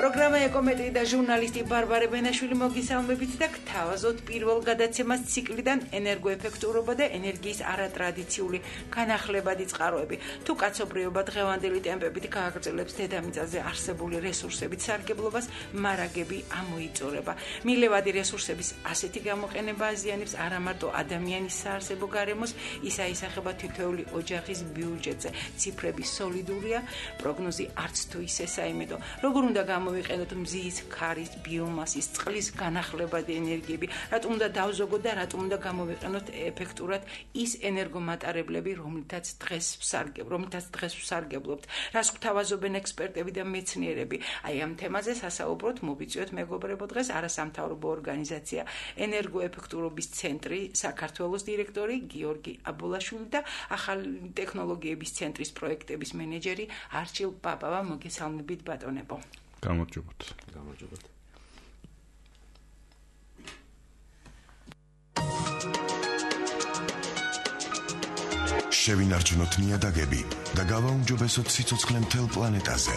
პროგრამა ეკომეტრი და ჟურნალისტი ბარბარე ბენაშვილი მოგისალმებით და გთავაზობთ პირველ გადაცემას ციკლიდან ენერგოეფექტურობა და ენერგიის არატრადიციული განახლებადი წყაროები. თუ კაცობრიობა დღევანდელი ტემპებით გააგრძელებს დედამიწაზე არსებული რესურსებით სარგებლობას, მარაგები ამოიწურება. მილევადი რესურსების ასეთი გამოყენება აზიანებს არა მარტო ადამიანის საარსებო გარემოს, ის აისახება თითოეული ოჯახის ბიუჯეტზე. ციფრები სოლიდურია, პროგნოზი არც თუ ისე საიმედო. როგორ უნდა გამოვიყენოთ მზის, ქარის, ბიომასის, წყლის განახლებადი ენერგიები, რატომ უნდა დავზოგოთ და რატომ უნდა გამოვიყენოთ ეფექტურად ის ენერგომატარებლები, რომლითაც დღეს ვსარგებლობთ. რას გვთავაზობენ ექსპერტები და მეცნიერები? აი ამ თემაზე სასაუბროთ მოვიწვიოთ მეგობრებო დღეს არასამთავრობო ორგანიზაცია ენერგოეფექტურობის ცენტრი საქართველოს დირექტორი გიორგი აბულაშვილი და ახალი ტექნოლოგიების ცენტრის პროექტების მენეჯერი არჩილ პაპავა. მოგესალმებით ბატონებო. გამარჯობათ. შევინარჩუნოთ ნიადაგები და გავაუმჯობესოთ სიცოცხლე მთელ პლანეტაზე.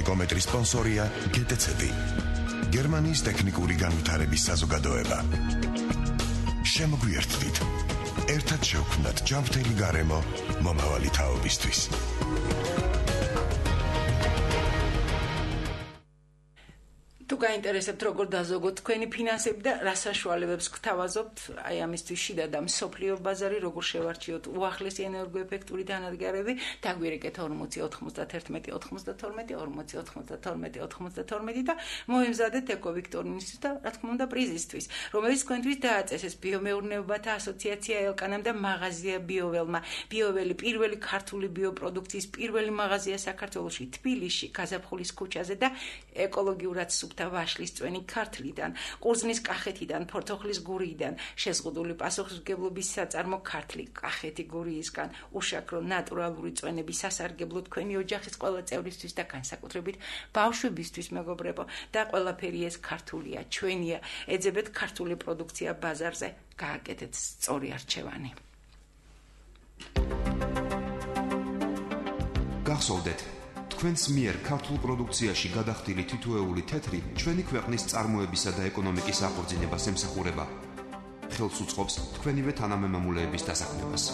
ეკომეტრის სპონსორია GTC, გერმანიის ტექნიკური განვითარების საზოგადოება. შემოგვიერთდით. ერთად შევქმნათ ჯანმრთელი გარემო მომავალი თაობისთვის. თუ გაინტერესებთ როგორ დაზოგოთ თქვენი ფინანსები და რა საშუალებებს გთავაზობთ, აი ამისთვის შიდა და მსოფლიო ბაზარი როგორ შევარჩიოთ უახლესი ენერგოეფექტური დანადგარები, დაგვირეკეთ 40 91 92 40 92 92 და მოემზადეთ ეკოვიქტორინის და რა თქმა უნდა პრიზისთვის, რომელიც თქვენთვის დააწესეს ბიომეურნეობათა ასოციაცია ელკანამ და მაღაზია ბიოველმა. ბიოველი პირველი ქართული ბიოპროდუქციის პირველი მაღაზია საქართველოში, თბილისში, გაზაფხულის ქუჩაზე და ეკოლოგიურად ვაშლის წვენი ქართლიდან, ყურძნის კახეთიდან, ფორთოხლის გურიიდან, შეზღუდული პასუხისმგებლობის საწარმო ქართლი, კახეთი გურიისგან, უშაქრო ნატურალური წვენები სასარგებლო თქვენი ოჯახის ყველა წევრისთვის და განსაკუთრებით ბავშვებისთვის მეგობრებო და ყველაფერი ეს ქართულია, ჩვენია. ეძებეთ ქართული პროდუქცია ბაზარზე, გააკეთეთ სწორი არჩევანი. გახსოვდეთ თქვენს მიერ ქართულ პროდუქციაში გადახდილი თითოეული თეთრი ჩვენი ქვეყნის წარმოებისა და ეკონომიკის აღორძინებას ემსახურება. ხელს უწყობს თქვენივე თანამემამულეების დასაქმებას.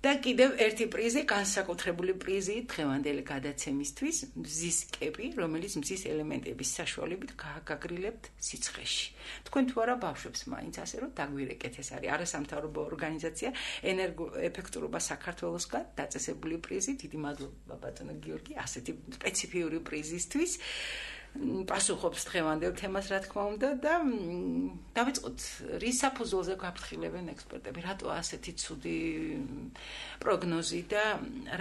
და კიდევ ერთი პრიზი, განსაკუთრებული პრიზი დღევანდელი გადაცემისთვის, მზის კეპი, რომელიც მზის ელემენტების საშუალებით გააგაგრილებთ სიცხეში. თქვენ თუ არა ბავშვებს მაინც ასე რომ დაგვირეკეთ, ეს არის არასამთავრობო ორგანიზაცია ენერგოეფექტურობა საქართველოსგან დაწესებული პრიზი. დიდი მადლობა ბატონო გიორგი, ასეთი სპეციფიური პრიზისთვის. პასუხობს დღევანდელ თემას რა თქმა უნდა და დავიწყოთ რის საფუძველზე გაფრთხილებენ ექსპერტები, რატო ასეთი ცუდი პროგნოზი და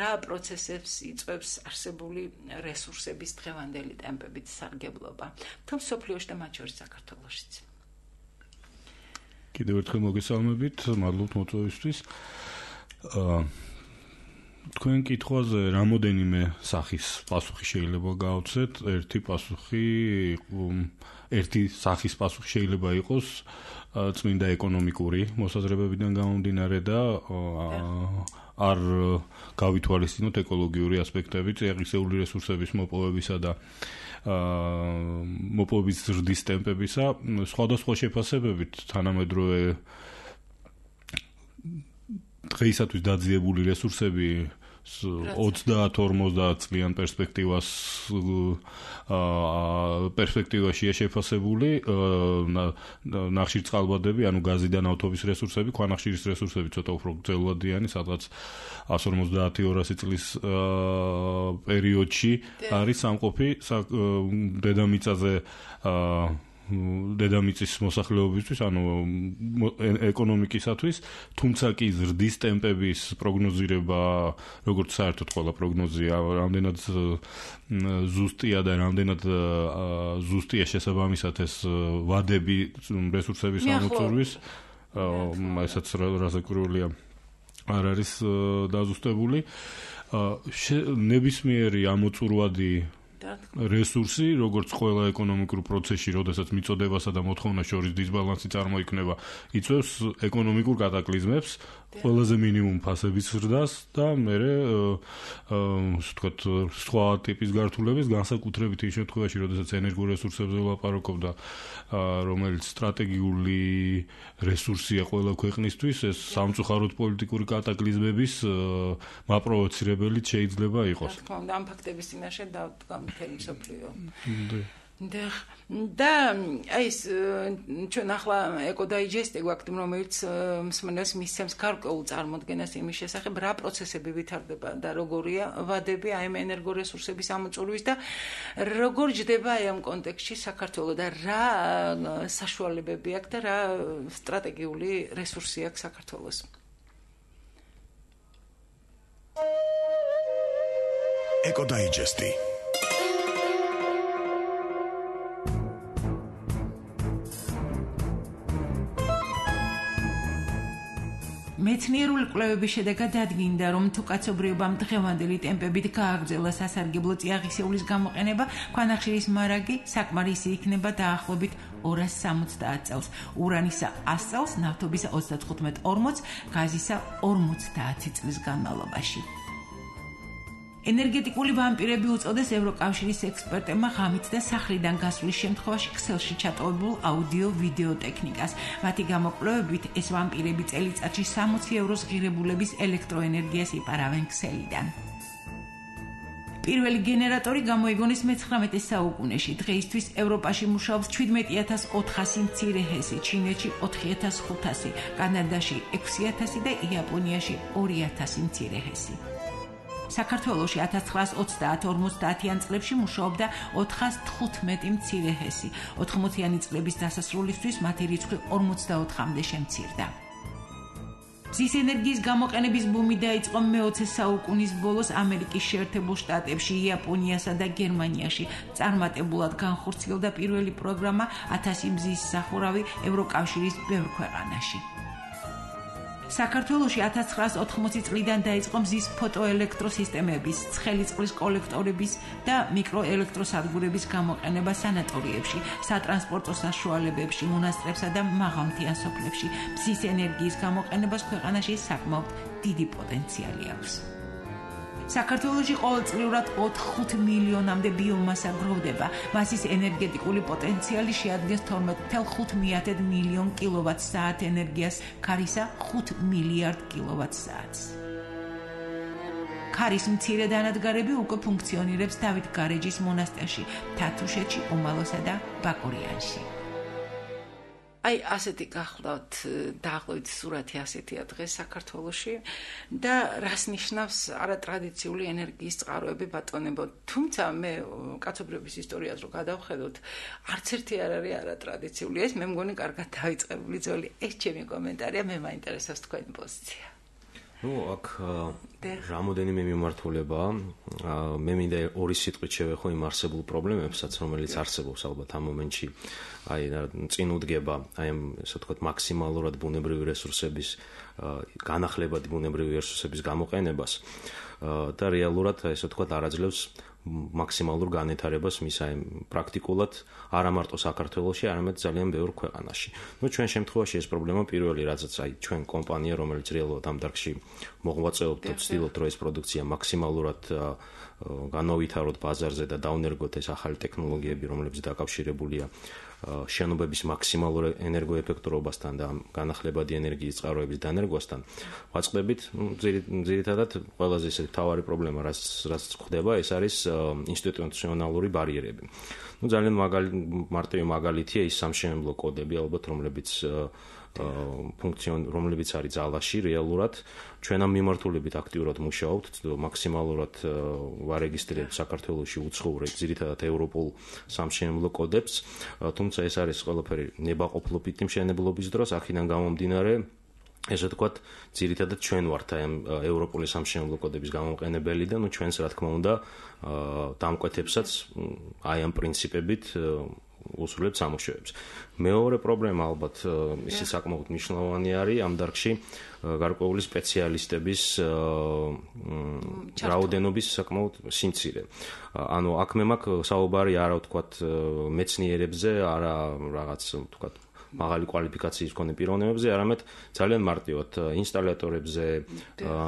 რა პროცესებს იწვევს არსებული რესურსების დღევანდელი ტემპებით სარგებლობა თუმცა მსოფლიოში და მათ შორის საქართველოშიც. კიდევ ერთხელ მოგესალმებით, მადლობთ მოწვევისთვის. თქვენ კითხვაზე რამოდენიმე სახის პასუხი შეიძლება გავცეთ. ერთი სახის პასუხი შეიძლება იყოს წმინდა ეკონომიკური მოსაზრებებიდან გამომდინარე და არ გავითვალისწინოთ ეკოლოგიური ასპექტები, წიაღისეული რესურსების მოპოვებისა და მოპოვების ზრდის ტემპებისა, სხვადასხვა შეფასებებით თანამედროვე დღეისათვის დაძიებული რესურსები 30-50 წლიან პერსპექტივაშია შეფასებული. ნახშირწყალბადები, ანუ გაზი და ნავთობის რესურსები, ქვანახშირის რესურსები ცოტა უფრო გრძელვადიანი, სადღაც 150-200 წლის პერიოდში არის სამყოფი დედამიწაზე დედამიწის მოსახლეობისთვის, ანუ ეკონომიკისათვის, თუმცა კი ზრდის ტემპების პროგნოზირება, როგორც საერთოდ ყველა პროგნოზია, რამდენად ზუსტია და რამდენად ზუსტია შესაბამისად ეს ვადები რესურსების ამოწურვის, ესაც რაზეკვირულია არ არის დაზუსტებული. ნებისმიერი ამოწურვადი რესურსი, როგორც ყველა ეკონომიკურ პროცესში, როდესაც მიწოდებასა და მოთხოვნას შორის დისბალანსი წარმოიქმნება, იწვევს ეკონომიკურ კატაკლიზმებს, ყველაზე მინიმუმ ფასების ზრდას და მერე ვთქვათ სხვა ტიპის გართულების განსაკუთრებით ის შემთხვევაში, როდესაც ენერგორესურსებზე ვლაპარაკობდა, რომელიც სტრატეგიული რესურსია ყველა ქვეყნისთვის, ეს სამწუხაროდ პოლიტიკური კატაკლიზმების მაპროვოცირებელიც შეიძლება იყოს. რა თქმა უნდა, ამ ფაქტების წინაშე დავდგა მთელი მსოფლიო. და ეს ჩვენ ახლა ეკოდაიჯესტი გვაქვს, რომელიც მსმენელს მისცემს გარკვეულ წარმოდგენას იმის შესახებ, რა პროცესები ვითარდება და როგორია ვადები აი ამ ენერგორესურსების ამოწურვის და როგორ ჯდება აი ამ კონტექსტში საქართველო და რა საშუალებები აქვს და რა სტრატეგიული რესურსი აქვს საქართველოს. ეკოდაიჯესტი მეცნიერული კვლევების შედეგად დადგინდა, რომ თუ კაცობრიობამ დღევანდელი ტემპებით გააგრძელა სასარგებლო წიაღისეულის გამოყენება, ქვანახშირის მარაგი საკმარისი იქნება დაახლოებით 270 წელს, ურანისა 100 წელს, ნავთობისა 35-40, გაზისა 50 წლის განმავლობაში. ენერგეტიკული ვამპირები უწოდეს ევროკავშირის ექსპერტებმა ღამით და სახლიდან გასვლის შემთხვევაში ქსელში ჩატოვებულ აუდიო-ვიდეო ტექნიკას. მათი გამოკვლევებით ეს ვამპირები წელიწადში 60 ევროს ღირებულების ელექტროენერგიას იპარავენ ქსელიდან. პირველი გენერატორი გამოიგონეს მე-19 საუკუნეში. დღეისთვის ევროპაში მუშაობს 17400 მცირე ჰესი, ჩინეთში 4500, კანადაში 6000 და იაპონიაში 2000 მცირე ჰესი. საქართველოში 1930-50-იან წლებში მუშაობდა 415 მცირე ჰესი. 80-იანი წლების დასასრულისთვის მათი რიცხვი 44-მდე შემცირდა. მზის ენერგიის გამოყენების ბუმი დაიწყო მე-20 საუკუნის ბოლოს ამერიკის შეერთებულ შტატებში, იაპონიასა და გერმანიაში. წარმატებულად განხორციელდა პირველი პროგრამა 1000 მზის სახურავი ევროკავშირის ბევრ ქვეყანაში. საქართველოში 1980 წლიდან დაიწყო მზის ფოტოელექტროსისტემების, ცხელი წყლის კოლექტორების და მიკროელექტროსადგურების გამოყენება სანატორიებში, სატრანსპორტო საშუალებებში, მონასტრებსა და მაღალმთიან სოფლებში. მზის ენერგიის გამოყენებას ქვეყანაში საკმაოდ დიდი პოტენციალი აქვს. საქართველოში ყოველწლიურად 4-5 მილიონამდე ბიომასა გროვდება. მასის ენერგეტიკული პოტენციალი შეადგენს 12.5 მილიონ კილოვატ-საათ ენერგიას, ქარისა 5 მილიარდ კილოვატ-საათს. ქარის მცირე დანადგარები უკვე ფუნქციონირებს დავით გარეჯის მონასტერში, თათუშეთში, უმალოსა და ბაკურიანში. აი ასეთი გახლავთ დაახლოებით სურათი ასეთია დღეს საქართველოში და რას ნიშნავს არატრადიციული ენერგიის წყაროები ბატონებო. თუმცა მე კაცობრიობის ისტორიას რო გადავხედოთ, არც ერთი არ არის არატრადიციული. ეს მე მგონი კარგად დავიწყებული ძველი. ეს ჩემი კომენტარია, მე მაინტერესებს თქვენი პოზიცია. აქ რამოდენიმე მიმართულებაა. მე მინდა ორი სიტყვით შევეხო იმ არსებულ პრობლემებსაც, რომელიც არსებობს ალბათ ამ მომენტში. აი წინ უდგება აი ამ ესე ვთქვათ მაქსიმალურად ბუნებრივი რესურსების განახლებადი ბუნებრივი რესურსების გამოყენებას და რეალურად ესე ვთქვათ არაძლევს მაქსიმალურ განვითარებას მის აი პრაქტიკულად არა მარტო საქართველოში, არამედ ძალიან ბევრ ქვეყანაში. ჩვენ შემთხვევაში ეს პრობლემა პირველი, რაზეც აი ჩვენ კომპანია, რომელიც რეალურად ამ დარგში მოღვაწეობთ და ვცდილობთ, რომ ეს პროდუქცია მაქსიმალურად განავითაროთ ბაზარზე და დავნერგოთ ეს ახალი ტექნოლოგიები, რომლებიც დაკავშირებულია შენობების მაქსიმალურ ენერგოეფექტურობასთან და განახლებადი ენერგიის წყაროების დანერგვასთან. ვაწყდებით, ძირითადად ყველაზე ისეთი მთავარი პრობლემა, რაც ხდება, ეს არის ინსტიტუციონალური ბარიერები. ძალიან მარტივი მაგალითია ის სამშენებლო კოდები, ალბათ, რომლებიც არის ძალაში რეალურად. ჩვენ ამ მიმართულებით აქტიურად მუშაობთ, მაქსიმალურად ვარეგისტრირებთ საქართველოში უცხოურ, ძირითადად ევროპულ სამშენებლო კოდებს, თუმცა ეს არის ყველაფერი ნებაყოფლობითი მშენებლობის დროს, აქედან გამომდინარე ესე ვთქვათ, ძირითადად ჩვენ ვართ აი ამ ევროპული სამშენებლო კოდების გამოყენებელი და ჩვენს რა თქმა უნდა დამკვეთებსაც აი ამ პრინციპებით უსრულებს სამუშაოებს. მეორე პრობლემა ალბათ ისე საკმაოდ მნიშვნელოვანი არის ამ დარგში გარკვეული სპეციალისტების რაოდენობის საკმაოდ სიმცირე. ანუ აქ მე მაქვს საუბარი არა ვთქვათ მეცნიერებზე, არა რაღაც ვთქვათ მაღალი კვალიფიკაციის მქონე პიროვნებებზე, არამედ ძალიან მარტივად ინსტალატორებზე,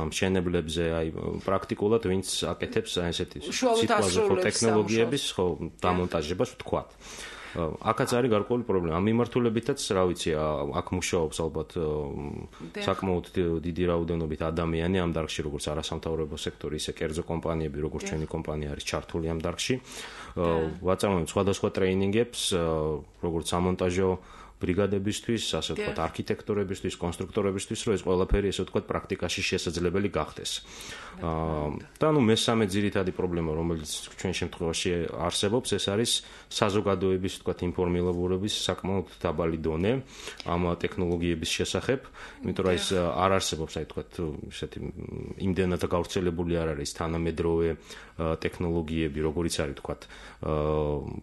მშენებლებზე, აი პრაქტიკულად ვინც აკეთებს ესეთი სიტუაციურ ტექნოლოგიების დამონტაჟებას ვთქვათ. აქაც არის გარკვეული პრობლემა. ამ მიმართულებითაც, რა ვიცი, აქ მუშაობს ალბათ საკმაოდ დიდი რაოდენობით ადამიანი ამ დარგში, როგორც არასამთავრობო სექტორი, ისე კერძო კომპანიები, როგორც ჩვენი კომპანია არის ჩართული ამ დარგში. ვაწარმოებთ სხვადასხვა ტრეინინგებს, როგორც სამონტაჟო ბრიგადებისთვის, ასე ვთქვათ, არქიტექტორებისთვის, კონსტრუქტორებისთვის, რომ ეს ყველაფერი ესე ვთქვათ პრაქტიკაში შესაძლებელი გახდეს. და ნუ მესამე ძირითადი პრობლემა, რომელიც ჩვენ შემთხვევაში არსებობს, ეს არის საზოგადოების ვთქვათ ინფორმირებულობის საკმაოდ დაბალი დონე ამ ტექნოლოგიების შესახებ, იმიტომ რომ ეს არ არსებობს, აი ვთქვათ, ესეთი იმდენად გავრცელებული არ არის თანამედროვე ტექნოლოგიები, როგორიც არის ვთქვათ,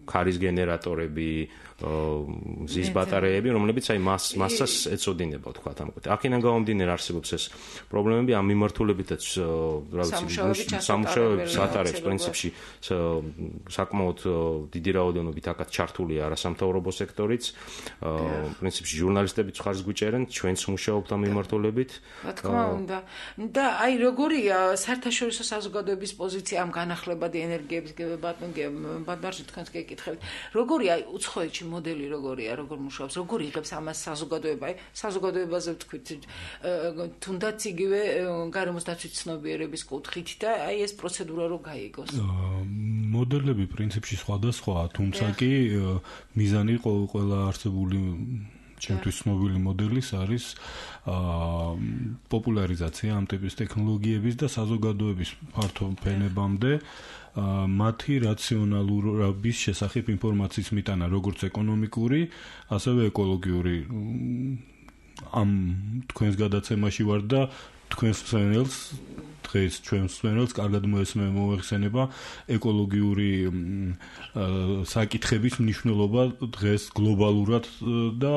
ქარის გენერატორები, მზის ბატარეები, რომლებიც აი მასას ეწოდინება, ვთქვათ, ამ კვეთ. აქედან გამომდინარე არსებობს ეს პრობლემები, ამ მიმართულებითაც რა ვიცი, სამუშაოების ატარებს პრინციპში საკმაოდ დიდი რაოდენობით აქაც ჩართულია არასამთავრობო სექტორიც. პრინციპში ჟურნალისტებიც ხარს გვიჭერენ, ჩვენც მუშაობთ ამ მიმართულებით. რა თქმა უნდა. და აი როგორია საერთაშორისო საზოგადოების პოზიცია ამ განახლებადი ენერგიების ბატონი თქვენს გეკითხებით. როგორია აი უცხოეთში მოდელი როგორია, როგორ მუშაობს, როგორ იღებს ამას საზოგადოება, საზოგადოებაზე ვთქვით, თუნდაც იგივე გარემოს დაცვის ცნობიერების კუთხით და აი ეს პროცედურა რო გაიგოს. მოდელები პრინციპში სხვადასხვაა, თუმცა კი მიზანი ყველა არსებული ჩემთვის ცნობილი მოდელის არის პოპულარიზაცია ამ ტიპის ტექნოლოგიების და საზოგადოების ფართო ფენებამდე მათი რაციონალურობის შესახებ ინფორმაციის მიტანა, როგორც ეკონომიკური, ასევე ეკოლოგიური. ამ თქვენს გადაცემაში ვარ და თქვენს მსმენელს დღეს ჩვენს მსმენელს კარგად მოეხსენება ეკოლოგიური საკითხების მნიშვნელობა დღეს გლობალურად და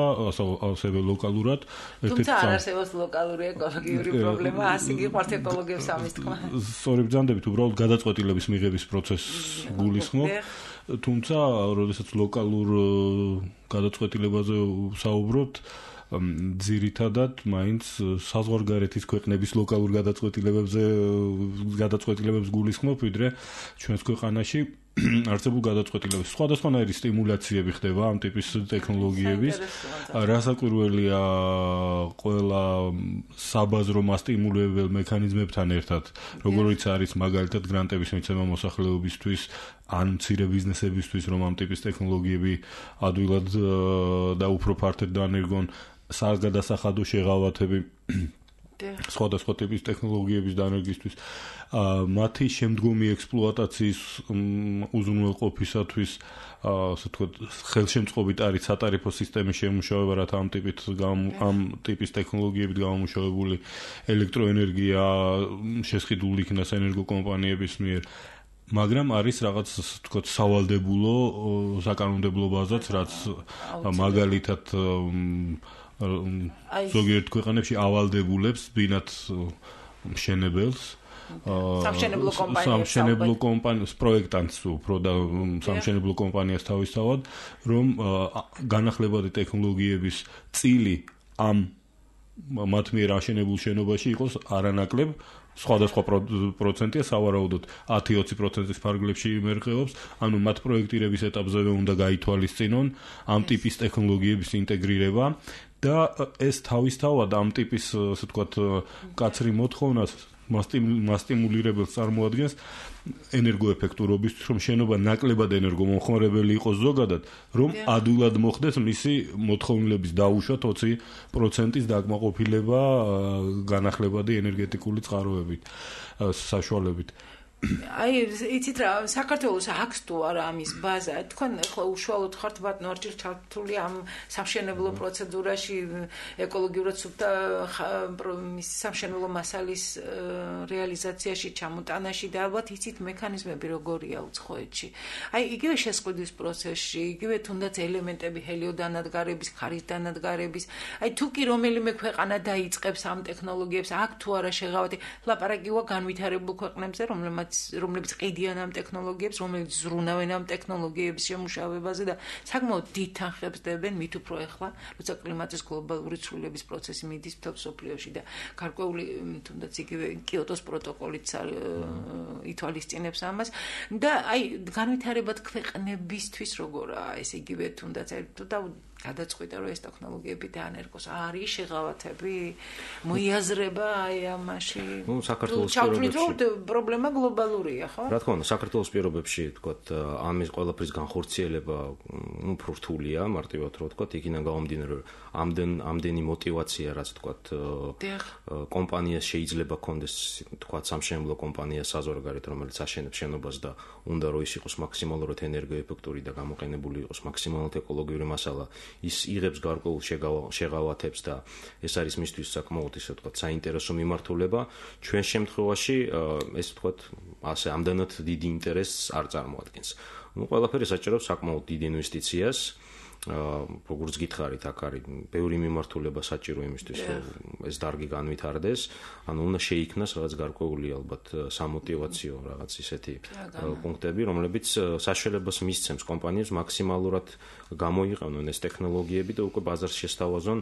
ასევე ლოკალურად. თუმცა არ არსებობს ლოკალური ეკოლოგიური პრობლემა, ასე გიყვართ ეკოლოგიებს ამის თქმა. სწორი ბრძანდებით, უბრალოდ გადაწყვეტილების მიღების პროცესს გულისხმობ. თუმცა, როდესაც ლოკალურ გადაწყვეტილებაზე ვსაუბრობთ, ძირითადად მაინც საზღვარგარეთის ქვეყნების ლოკალურ გადაწყვეტილებებს გულისხმობ, ვიდრე ჩვენს ქვეყანაში არსებულ გადაწყვეტილებებს. სხვადასხვანაირი სტიმულაციები ხდება ამ ტიპის ტექნოლოგიების. რასაკვირველია, ყველა საბაზრო მასტიმულირებელ მექანიზმებთან ერთად, როგორიც არის მაგალითად გრანტების მიცემა მოსახლეობისთვის ან მცირე ბიზნესებისთვის, რომ ამ ტიპის ტექნოლოგიები ადვილად და უფრო ფართედ დაანერგონ საგადასახადო შეღავათები სხვადასხვა ტიპის ტექნოლოგიების დანერგისთვის, მათი შემდგომი ექსპლუატაციის უზრუნველყოფისათვის, ასე ვთქვათ, ხელშემწყობით არის სატარიფო სისტემის შემუშავება, რათა ამ ტიპის ტექნოლოგიებით გამომუშავებული ელექტროენერგია შესყიდული იქნას ენერგოკომპანიების მიერ. მაგრამ არის რაღაც ვთქვათ სავალდებულო საკანონმდებლო ბაზაც, რაც მაგალითად ზოგიერთ ქვეყანებში ავალდებულებს ბინათ მშენებელს, სამშენებლო კომპანიას პროექტანტს უფრო და სამშენებლო კომპანიას თავისთავად, რომ განახლებადი ტექნოლოგიების წილი ამ მათ მიერ აშენებულ შენობაში იყოს არანაკლებ, სხვადასხვა პროცენტია, სავარაუდოდ 10-20%-ის ფარგლებში იმერყევობს, ანუ მათ პროექტირების ეტაპზევე უნდა გაითვალისწინონ ამ ტიპის ტექნოლოგიების ინტეგრირება და ეს თავისთავად ამ ტიპის, ასე ვთქვათ, მკაცრი მოთხოვნას მასტიმულირებელს წარმოადგენს ენერგოეფექტურობისთვის, რომ შენობა ნაკლებად ენერგომომხმარებელი იყოს ზოგადად, რომ ადვილად მოხდეს მისი მოთხოვნილების დაუშვა 20%-ის დაკმაყოფილება განახლებადი ენერგეტიკული წყაროებით, საშუალებით. აი იცით რა საქართველოს აქვს თუ არა ამის ბაზა თქვენ ახლა უშუალოდ ხართ ბატონარჩილ ჩართული ამ სამშენებლო პროცედურაში ეკოლოგიურად სუფთა სამშენებლო მასალის რეალიზაციაში ჩამოტანაში და ალბათ იცით მექანიზმები როგორია უცხოეთში აი იგივე შესყიდვის პროცესში იგივე თუნდაც ელემენტები ჰელიოდანადგარების ხარის დანადგარების აი თუ კი რომელიმე ქვეყანა დაიწყებს ამ ტექნოლოგიებს აქ თუ არა შეღავათი ლაპარაკია განვითარებულ ქვეყნებზე რომლებიც ყიდიან ამ ტექნოლოგიებს, რომლებიც ზრუნავენ ამ ტექნოლოგიების შემუშავებაზე და საკმაოდ დიდ თანხებს დებენ მით უფრო ახლა, როცა კლიმატის გლობალური ცვლილების პროცესი მიდის მთელ მსოფლიოში და გარკვეული თუნდაც იგივე კიოტოს პროტოკოლიც ითვალისწინებს ამას და აი განვითარებად ქვეყნებისთვის როგორაა ეს იგივე თუნდაც თუ გადაწყვიტა რომ ეს ტექნოლოგიები დაანერგოს არის შეღავათები მოიაზრება აი ამაში საქართველოს პირობებში პრობლემა გლობალურია ხო რა თქმა უნდა საქართველოს პირობებში თქვათ ამის ყველაფრის განხორციელება უფრო რთულია მარტივად რო თქვათ იქიდან გამომდინარე ამდენი мотиваცია რაც თქვათ კომპანიას შეიძლება კონდეს თქვათ სამშენებლო კომპანია საზღვარგარეთ რომელიც აშენებს შენობას და უნდა რომ ის იყოს მაქსიმალურად ენერგოეფექტური და გამოყენებული იყოს მაქსიმალურად ეკოლოგიური მასალა ის იღებს გარკვეულ შეღავათებს და ეს არის მისთვის საკმაოდ ისე ვთქვათ საინტერესო მიმართულება ჩვენ შემთხვევაში ეს ვთქვათ ასე ამდენად დიდი ინტერესს არ წარმოადგენს ну ყველაფერი საჭიროებს საკმაოდ დიდ ინვესტიციას როგორც გითხარით აქ არის ბევრი მიმართულება საჭირო იმისთვის რომ ეს დარგი განვითარდეს ანუ უნდა შეიქმნას რაღაც გარკვეული ალბათ სამოტივაციო რაღაც ისეთი პუნქტები რომლებიც საშუალებას მისცემს კომპანიებს მაქსიმალურად გამოიყენონ ეს ტექნოლოგიები და უკვე ბაზარს შესთავაზონ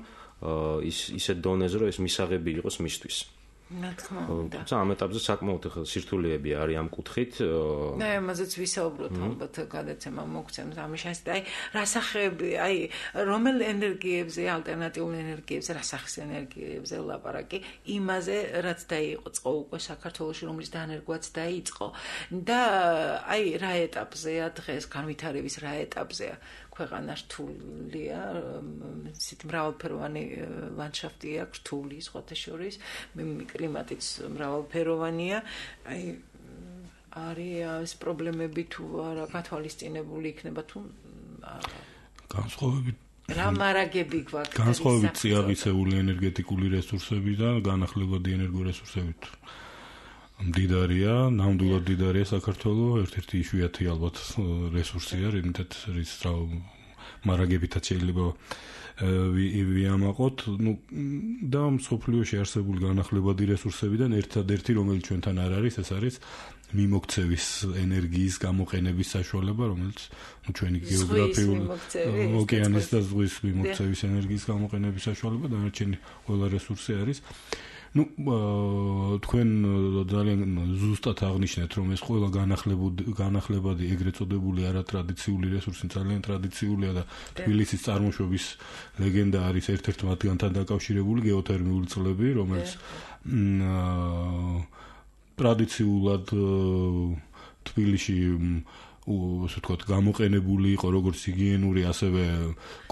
ისეთ დონეზე რომ ეს მისაღები იყოს მისთვის რა თქმა უნდა. ამ ეტაპზე საკმაოდ სირთულეები არის ამ კუთხით. და ამაზეც ვისაუბროთ ალბათ გადაცემა მოგცემს ამის შესახებ. აი, რა სახეები, აი, რომელ ენერგიებზე, ალტერნატიულ ენერგიებზე, რა სახის ენერგიებზე ლაპარაკი, იმაზე, რაც დაიწყო უკვე საქართველოში, რომლის დანერგვაც დაიწყო. და აი, რა ეტაპზეა დღეს განვითარების რა ეტაპზეა? ქვეყანა რთულია, ისეთ მრავალფეროვანი ლანდშაფტია, რთული სხვათა შორის, კლიმატიც მრავალფეროვანია. აი არის პრობლემები თუ არა გათვალისწინებული იქნება თუ განსხვავებით რა მარაგები გვაქვს განსხვავებით წიაღისეული ენერგეტიკული რესურსები და განახლებადი ენერგორესურსებით მდიდარია, ნამდვილად მდიდარია საქართველოს, ერთ-ერთი იშვიათი ალბათ რესურსია, რითაც რის მარაგებითაც შეიძლება ვიამაყოთ, და მსოფლიოში არსებული განახლებადი რესურსებიდან ერთადერთი, რომელიც ჩვენთან არ არის, ეს არის მიმოქცევის ენერგიის გამოყენების საშუალება, რომელიც ჩვენი გეოგრაფიული ოკეანის და ზღვის მიმოქცევის ენერგიის გამოყენების საშუალება, დანარჩენი ყველა რესურსი არის. თქვენ ძალიან ზუსტად აღნიშნეთ, რომ ეს ყველა განახლებადი ეგრეთ წოდებული არატრადიციული რესურსი ძალიან ტრადიციულია და თბილისის წარმოშობის ლეგენდა არის ერთ-ერთი მათგანთან დაკავშირებული გეოთერმიული წყლები, რომელიც ტრადიციულად თბილისში ასე ვთქვათ, გამოყენებული იყო როგორც ჰიგიენური, ასევე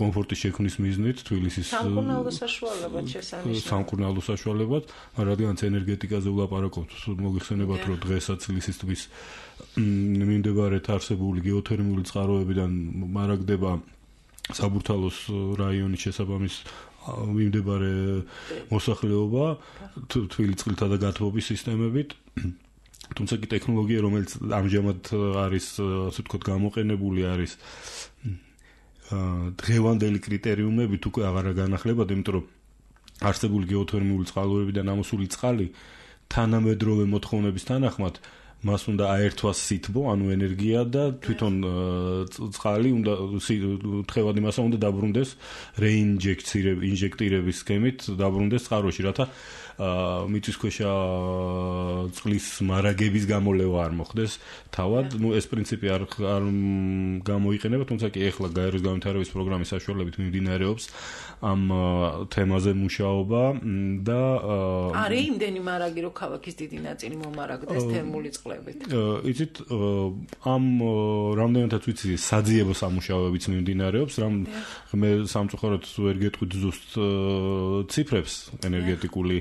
კომფორტის შექმნის მიზნით თბილისის სამკურნალო საშუალებად შესანიშნავად. სამკურნალო საშუალებად, რადგანაც ენერგეტიკაზე ვლაპარაკობთ, მოგიხსენებათ, რომ დღესაც თბილისის ტბის მიმდებარედ არსებული გეოთერმული წყაროებიდან მარაგდება საბურთალოს რაიონის შესაბამის მიმდებარე მოსახლეობა თბილის წყლთა და გათბობის სისტემებით. თუმცა კი ტექნოლოგია, რომელიც ამჟამად არის, ასე ვთქვათ, გამოყენებული არის დღევანდელი კრიტერიუმებით უკვე აღარ განახლებადი, იმიტომ რომ არსებული გეოთერმული წყაროებიდან ამოსული წყალი თანამედროვე მოთხოვნების თანახმად მას უნდა აერთვას სითბო, ანუ ენერგია და თვითონ წყალი უნდა თხევადი მასა უნდა დაბრუნდეს რეინჟექტირების სქემით დაბრუნდეს წყაროში, რათა მიწისქვეშა წყლის მარაგების გამოლევა არ მოხდეს თავად. ეს პრინციპი არ გამოიყენება, თუმცა კი ეხლა გაეროს განვითარების პროგრამის საშუალებით მიმდინარეობს ამ თემაზე მუშაობა და არის იმდენი მარაგი, რომ ქალაქის დიდი ნაწილი მომარაგდეს თერმული წყლებით. განსხვავებით? იცით, ამ რამდენადაც ვიცი, საძიებო სამუშაოებიც მიმდინარეობს, მე სამწუხაროდ ვერ გეტყვით ზუსტ ციფრებს ენერგეტიკული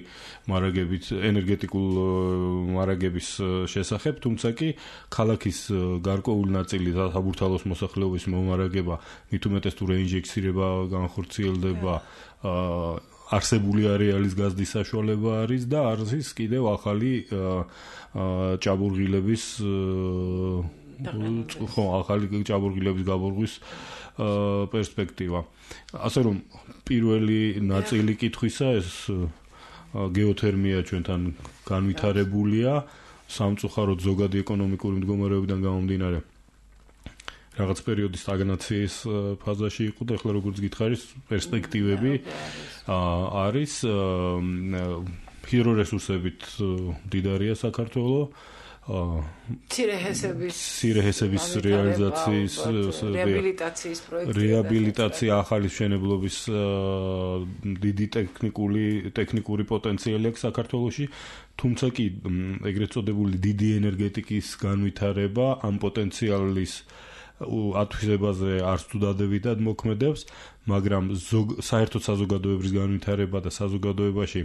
მარაგების შესახებ, თუმცა კი ქალაქის გარკვეული ნაწილი საბურთალოს მოსახლეობის მომარაგება მით უმეტეს თუ რეინჟექცირება განხორციელდება არსებული არეალის გაზრდის საშუალება არის და არის კიდევ ახალი ჭაბურღილების გაბურღვის პერსპექტივა. ასე რომ პირველი ნაწილი კითხვისა ეს გეოთერმია ჩვენთან განვითარებულია, სამწუხაროდ ზოგადი ეკონომიკური მდგომარეობიდან გამომდინარე რაღაც პერიოდის სტაგნაციის ფაზაში იყო და ახლა როგორც გითხარის პერსპექტივები არის ჰიდრორესურსებით მდიდარია საქართველო ცირეჰესების რეალიზაციის რეაბილიტაცია ახალი მშენებლობის დიდი ტექნიკური პოტენციალი აქვს საქართველოში, თუმცა კი ეგრეთ წოდებული დიდი ენერგეტიკის განვითარება ამ პოტენციალის ათვისებაზე არც თუ დადებითად მოქმედებს, მაგრამ საერთოდ საზოგადოების განვითარება და საზოგადოებაში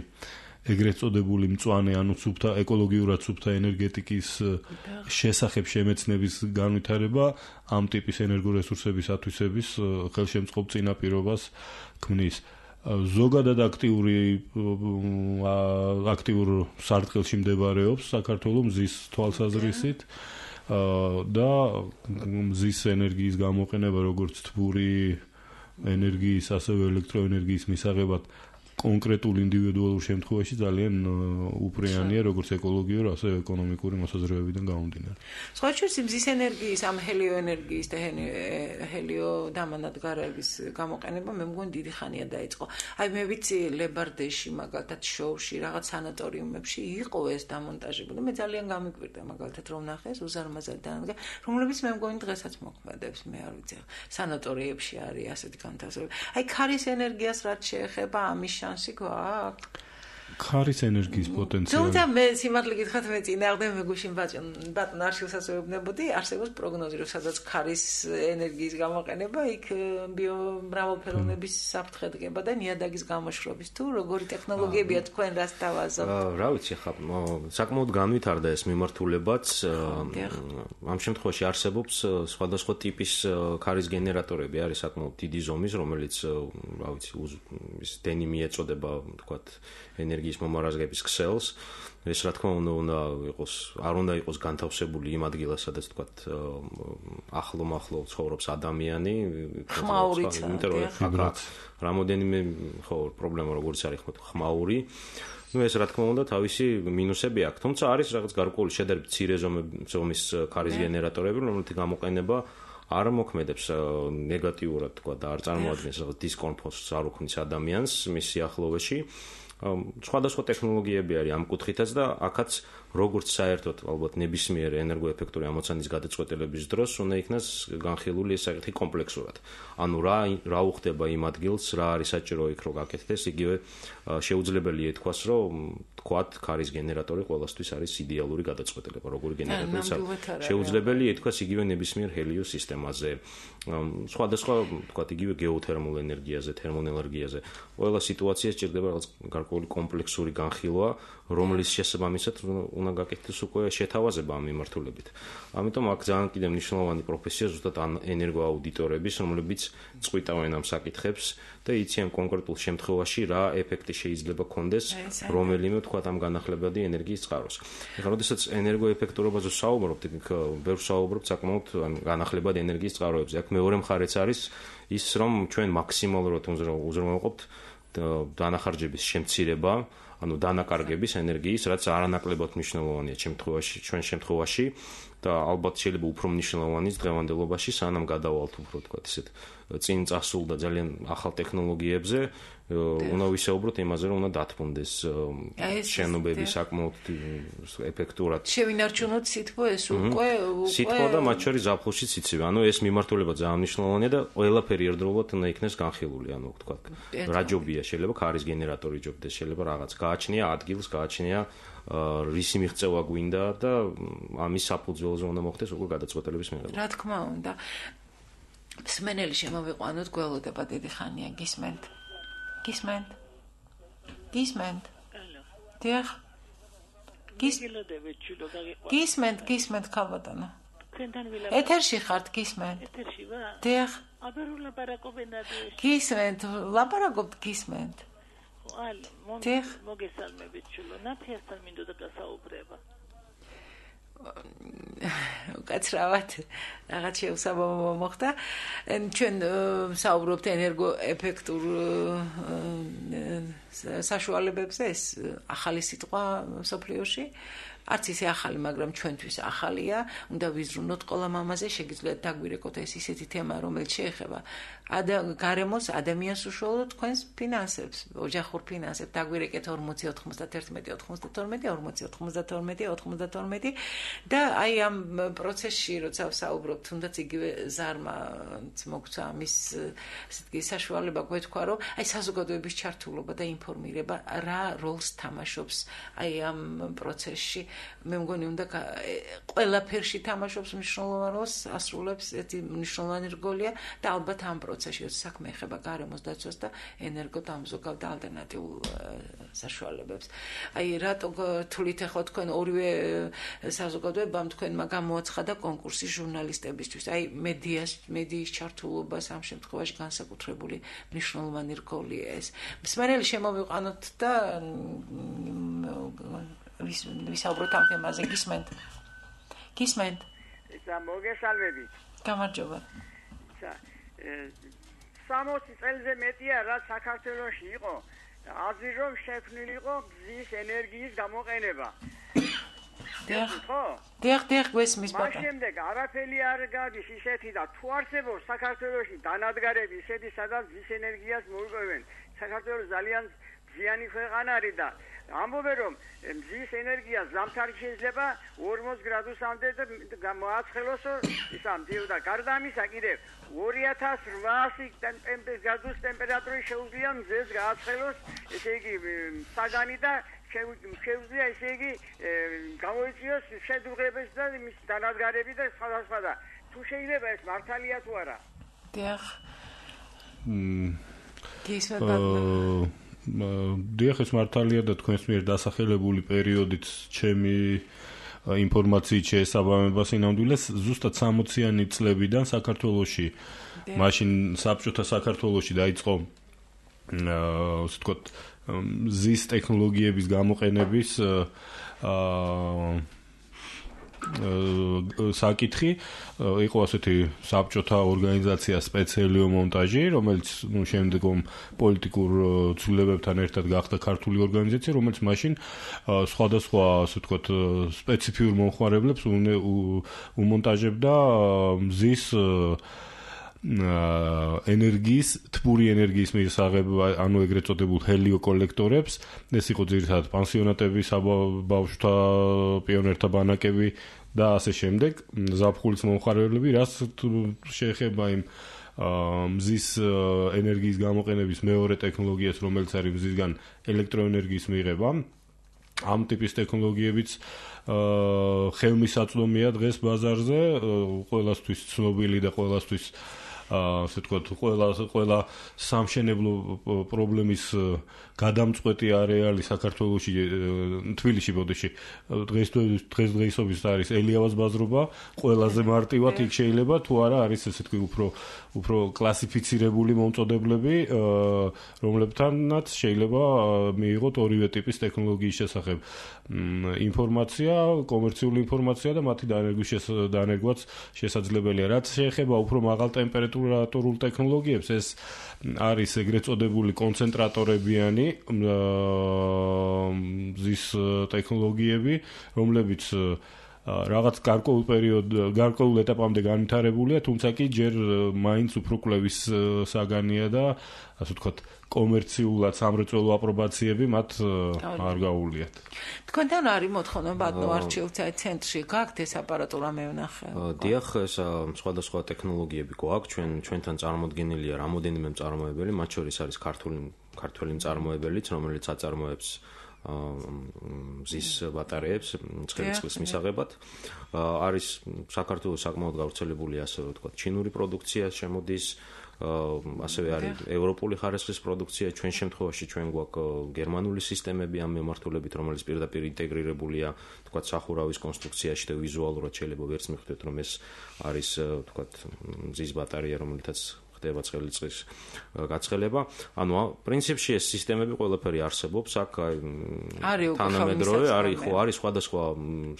ეგრეთ წოდებული მწვანე ანუ სუფთა ეკოლოგიურად სუფთა ენერგეტიკის შესახებ შემეცნების განვითარება ამ ტიპის ენერგორესურსების ათვისების ხელშემწყობ წინაპირობას ქმნის. ზოგადად აქტიურ სარტყელში მდებარეობს საქართველოს მზის თვალსაზრისით და მზის ენერგიის გამოყენება როგორც თბური ენერგიის ასევე ელექტროენერგიის მისაღებად კონკრეტულ ინდივიდუალურ შემთხვევაში ძალიან უპრიანია როგორც ეკოლოგიურ, ასევე ეკონომიკური მოსაზრებებიდან გამომდინარე. სხვა შორის მზის ენერგიის, ამ ჰელიოენერგიის და ჰელიოდამანადგარების გამოყენება მე მგონი დიდი ხანია დაიწყო. აი მე ვიცი ლებარდეში მაგალითად შოუში რაღაც სანატორიუმებში იყო ეს დამონტაჟებული. მე ძალიან გამიკვირდა მაგალითად რომ ნახე ეს უზარმაზარი დანადგარი, რომლებიც მე მგონი დღესაც მოქმედებს, მე არ ვიცი. სანატორიებში არის ასეთი განთავსებები. აი ქარის ენერგიას რაც შეეხება ამის შანსი გვაქვს? ქარის ენერგიის პოტენციალი. თუმცა მე სიმართლე გითხრათ მე წინააღმდეგ მე გუშინ ბატონ არშილსაც ვეუბნებოდი, არსებობს პროგნოზი, რომ სადაც ქარის ენერგიის გამოყენება იქ ბიომრავალფეროვნების საფრთხე დგება და ნიადაგის გამოშრობის თუ როგორი ტექნოლოგიებია თქვენ რას თავაზობთ? რა ვიცი ხა, საკმაოდ განვითარდა ეს მიმართულებაც. ამ შემთხვევაში არსებობს სხვადასხვა ტიპის ქარის გენერატორები, არის საკმაოდ დიდი ზომის, რომელიც რა ვიცი, ის დენი მიეწოდება, თქვათ, ენერგიის მომარაგების ქსელს. ეს რა თქმა უნდა არ უნდა იყოს განთავსებული იმ ადგილას, სადაც თქვათ ახლო ცხოვრობს ადამიანი, ხმაურიცა, რამოდენიმე პრობლემა როგორც არის ხმაური. ეს რა თქმა უნდა თავისი მინუსები აქვს, თუმცა არის რაღაც გარკვეული შედარებით მცირე ზომის ქარის გენერატორები, რომელთი გამოყენება არ მოქმედებს ნეგატიურად, თქვა და არ წარმოადგენს რაღაც დისკომფორტს არ უქმნის ადამიანს მის სიახლოვეში. სხვადასხვა ტექნოლოგიები არის ამ კუთხითაც და აქაც როგორც საერთოდ ალბათ ნებისმიერ ენერგოეფექტური ამოცანის გადაწყვეტილების დროს უნდა იქნას განხილული ეს საკითხი კომპლექსურად. ანუ რა უხდება იმ ადგილს, რა არის საჭირო იქ რომ გაკეთდეს, იგივე შეუძლებელია ითქვას, რომ თქვათ ქარის გენერატორი ყველასთვის არის იდეალური გადაწყვეტილება, როგორი გენერატორიც შეუძლებელია ითქვას იგივე ნებისმიერ ჰელიოს სისტემაზე, სხვადასხვა თქვათ იგივე გეოთერმულ ენერგიაზე, თერმოენერგიაზე. ყველა სიტუაცია სჭირდება რაღაც გარკვეული კომპლექსური განხილვა, რომლის შესაბამისად უნდა გაკეთდეს უკვე შეთავაზება ამ მიმართულებით. ამიტომ აქ ძალიან კიდევ მნიშვნელოვანი პროფესია ზუსტად ენერგოაუდიტორების, რომლებიც წყვიტავენ ამ საკითხებს და იციან კონკრეტულ შემთხვევაში რა ეფექტი შეიძლება კონდეს რომელიმე თქვათ ამ განახლებადი ენერგიის წყაროს. ეხლა როდესაც ენერგოეფექტურობაზე ვსაუბრობთ, ბევრ ვსაუბრობთ საკმაოდ განახლებადი ენერგიის წყაროებზე. აქ მეორე მხარეც არის ის, რომ ჩვენ მაქსიმალურად უზრუნველყოფთ დანახარჯების შემცირება, ანუ დანაკარგების ენერგიის, რაც არანაკლებად მნიშვნელოვანია ჩვენ შემთხვევაში და ალბათ შეიძლება უფრო მნიშვნელოვანიც დღევანდელობაში, სანამ გადავალთ უფრო თქვათ ისეთ წინ წასულ და ძალიან ახალ ტექნოლოგიებზე, უნდა ვისაუბროთ იმაზე, რომ უნდა დათმობდეს შენობები საკმაოდ ეფექტურად. შევინარჩუნოთ სითბო ეს უკვე სითბო და მათ შორის ზაფხულშიც იცივე. ანუ ეს მიმართულება ძალიან მნიშვნელოვანია და ყველაფერი ერთდროულად უნდა იქნეს განხილული. ანუ თქვათ, რა ჯობია, შეიძლება ქარის გენერატორი ჯობდეს, შეიძლება რაღაც გააჩნია ადგილს, გააჩნია რისი მიღწევა გვინდა და ამის საფუძველზე უნდა მოხდეს უკვე გადაწყვეტილების მიღება. რა თქმა უნდა. მსმენელი შემოვიყვანოთ, გველოდება დიდი ხანია, გისმენთ? გისმენთ? დიახ. გისმენთ, ქალბატონო. ეთერში ხართ, გისმენთ? ეთერში ვარ? დიახ. აბა რო ლაპარაკობენ ადრე. გისმენთ, ლაპარაკობთ, გისმენთ? დიახ. მოგესალმებით, ჩულო. ნათიასთან მინდოდა გასაუბრება. უკაცრავად რაღაც შეუსაბამო მოხდა. ჩვენ საუბრობთ ენერგოეფექტურ საშუალებებზე, ეს ახალი სიტყვა მსოფლიოში. არც ისე ახალი, მაგრამ ჩვენთვის ახალია. უნდა ვიზრუნოთ ყველა მამაზე, შეგიძლიათ დაგვირეკოთ ეს ისეთი თემა, რომელიც შეეხება გარემოს, ადამიანს უშუალოდ თქვენს ფინანსებს, ოჯახურ ფინანსებს. დაგვირეკეთ 40 91 92 92 და აი ამ პროცესში როცა ვსაუბრობ, თუნდაც იგივე ზარმაც მოგცა ამის ესეთი საშუალება გვეთქვა, რომ აი საზოგადოების ჩართულობა და ინფორმირება რა როლს თამაშობს აი ამ პროცესში. მე მგონი უნდა ყველაფერში თამაშობს მნიშვნელოვან როლს, ასრულებს ერთი მნიშვნელოვანი როლია და ალბათ ამ პროცესში საქმე ეხება გარემოს დაცვას და ენერგოდამზოგავ და ალტერნატიულ საშუალებებს. აი რატო თulit ახლა თქვენ ორივე საზოგადოებამ თქვენმა გამოაცხადა კონკურსი ჟურნალისტებისთვის. აი მედიის ჩართულობას ამ შემთხვევაში განსაკუთრებული მნიშვნელოვანი როლია ეს. მსმენელი შემოვიყვანოთ და ვისაუბროთ ამ თემაზე. გისმენთ? მოგესალმებით. გამარჯობა. 60 წელზე მეტია რა საქართველოში იყო აზრი რომ შექმნილი იყო გზის ენერგიის გამოყენება. დიახ, გვესმის ბატონო. მას შემდეგ არაფერი არ გადის ისეთი და თუ არსებობს საქართველოში დანადგარები ისეთი სადაც გზის ენერგიას მოიყვებენ. საქართველოს ძალიან ზიანი ქვეყანა არის და ამბობენ რომ მზის ენერგია ზამთარი შეიძლება 40 გრადუსამდე გამოაცხელოს ისა მდიო და გარდა ამისა კიდევ 2800 გრადუს ტემპერატური შეუძლია მზეს გააცხელოს, ესე იგი საგანი და შეუძლია ესე იგი გამოიწვიოს შედუღებებს და მის დანადგარები და სხვადასხვა და თუ შეიძლება ეს მართალია თუ არა. დიახ. დიახ, ეს მართალია და თქვენს მიერ დასახელებული პერიოდით ჩემი ინფორმაციით შეესაბამება სინამდვილეს ზუსტად 60-იანი წლებიდან საქართველოში, მაშინ საბჭოთა საქართველოში დაიწყო ასე ვთქვათ ზის ტექნოლოგიების გამოყენების საკითხი. იყო ასეთი საბჭოთა ორგანიზაცია სპეციალიო მონტაჟი, რომელიც შემდგომ პოლიტიკურ ცვლილებებთან ერთად გახდა ქართული ორგანიზაცია, რომელიც მაშინ სხვადასხვა ასე ვთქვათ სპეციფიურ მომხმარებლებს უმონტაჟებდა მზის ენერგიის, თბური ენერგიის მისაღებ, ანუ ეგრეთ წოდებულ ჰელიოკოლექტორებს. ეს იყო ძირითადად პანსიონატები, საბავშვთა პიონერთა ბანაკები და ასე შემდეგ, ზაფხულის მომხმარებლები, რაც შეეხება იმ მზის ენერგიის გამოყენების მეორე ტექნოლოგიას, რომელიც არის მზისგან ელექტროენერგიის მიღება. ამ ტიპის ტექნოლოგიებიც ხელმისაწვდომია დღეს ბაზარზე, ყველასთვის ცნობილი და ყველასთვის ასე ვთქვათ, ყველა სამშენებლო პრობლემის გადამწყვეტი არეალი საქართველოში, თბილისში ბოდიში დღესდღეობით არის ელიავას ბაზრობა, ყველაზე მარტივად იქ შეიძლება თუ არა არის ესე თქვი უფრო კლასიფიცირებული მომწოდებლები, რომლებთანაც შეიძლება მიიღოთ ორივე ტიპის ტექნოლოგიის შესახებ ინფორმაცია, კომერციული ინფორმაცია და მათი დანერგვაც შესაძლებელია. რაც შეეხება უფრო მაღალ ტემპერატურულ ტექნოლოგიებს, ეს არის ეგრეთ წოდებული კონცენტრატორებიანი მზის ტექნოლოგიები, რომლებიც რაღაც გარკვეულ ეტაპამდე განვითარებულია, თუმცა კი ჯერ მაინც უფრო კვლევის საგანია და ასე ვთქვათ კომერციულად სამრეწველო აპრობაციები მათ არ გაუვლიათ. თქვენთან არის მოთხოვნა ბატონო არჩილთა ცენტრში გაქვთ ეს აპარატურა მე ვნახე. დიახ, ეს სხვადასხვა ტექნოლოგიები გვაქვს, ჩვენთან წარმოდგენილია რამოდენიმე მწარმოებელი, მათ შორის არის ქართული მწარმოებელიც, რომელიც აწარმოებს მზის ბატარეებს ცხელი წყლის მისაღებად. არის საქართველოს საკმაოდ გავრცელებული ასე ვთქვათ, ჩინური პროდუქცია შემოდის, ასევე არის ევროპული ხარისხის პროდუქცია, ჩვენ შემთხვევაში ჩვენ გვაქვს გერმანული სისტემები ამ მიმართულებით, რომელიც პირდაპირ ინტეგრირებულია, ვთქვათ, სახურავის კონსტრუქციაში და ვიზუალურად შეიძლება ვერც მიხვდეთ, რომ ეს არის, ვთქვათ, მზის ბატარეა, რომელთაც ხდება ცხელი წყლის გაცხელება. ანუ პრინციპში ეს სისტემები ყველაფერი არსებობს, აქ თანამედროვე არის სხვადასხვა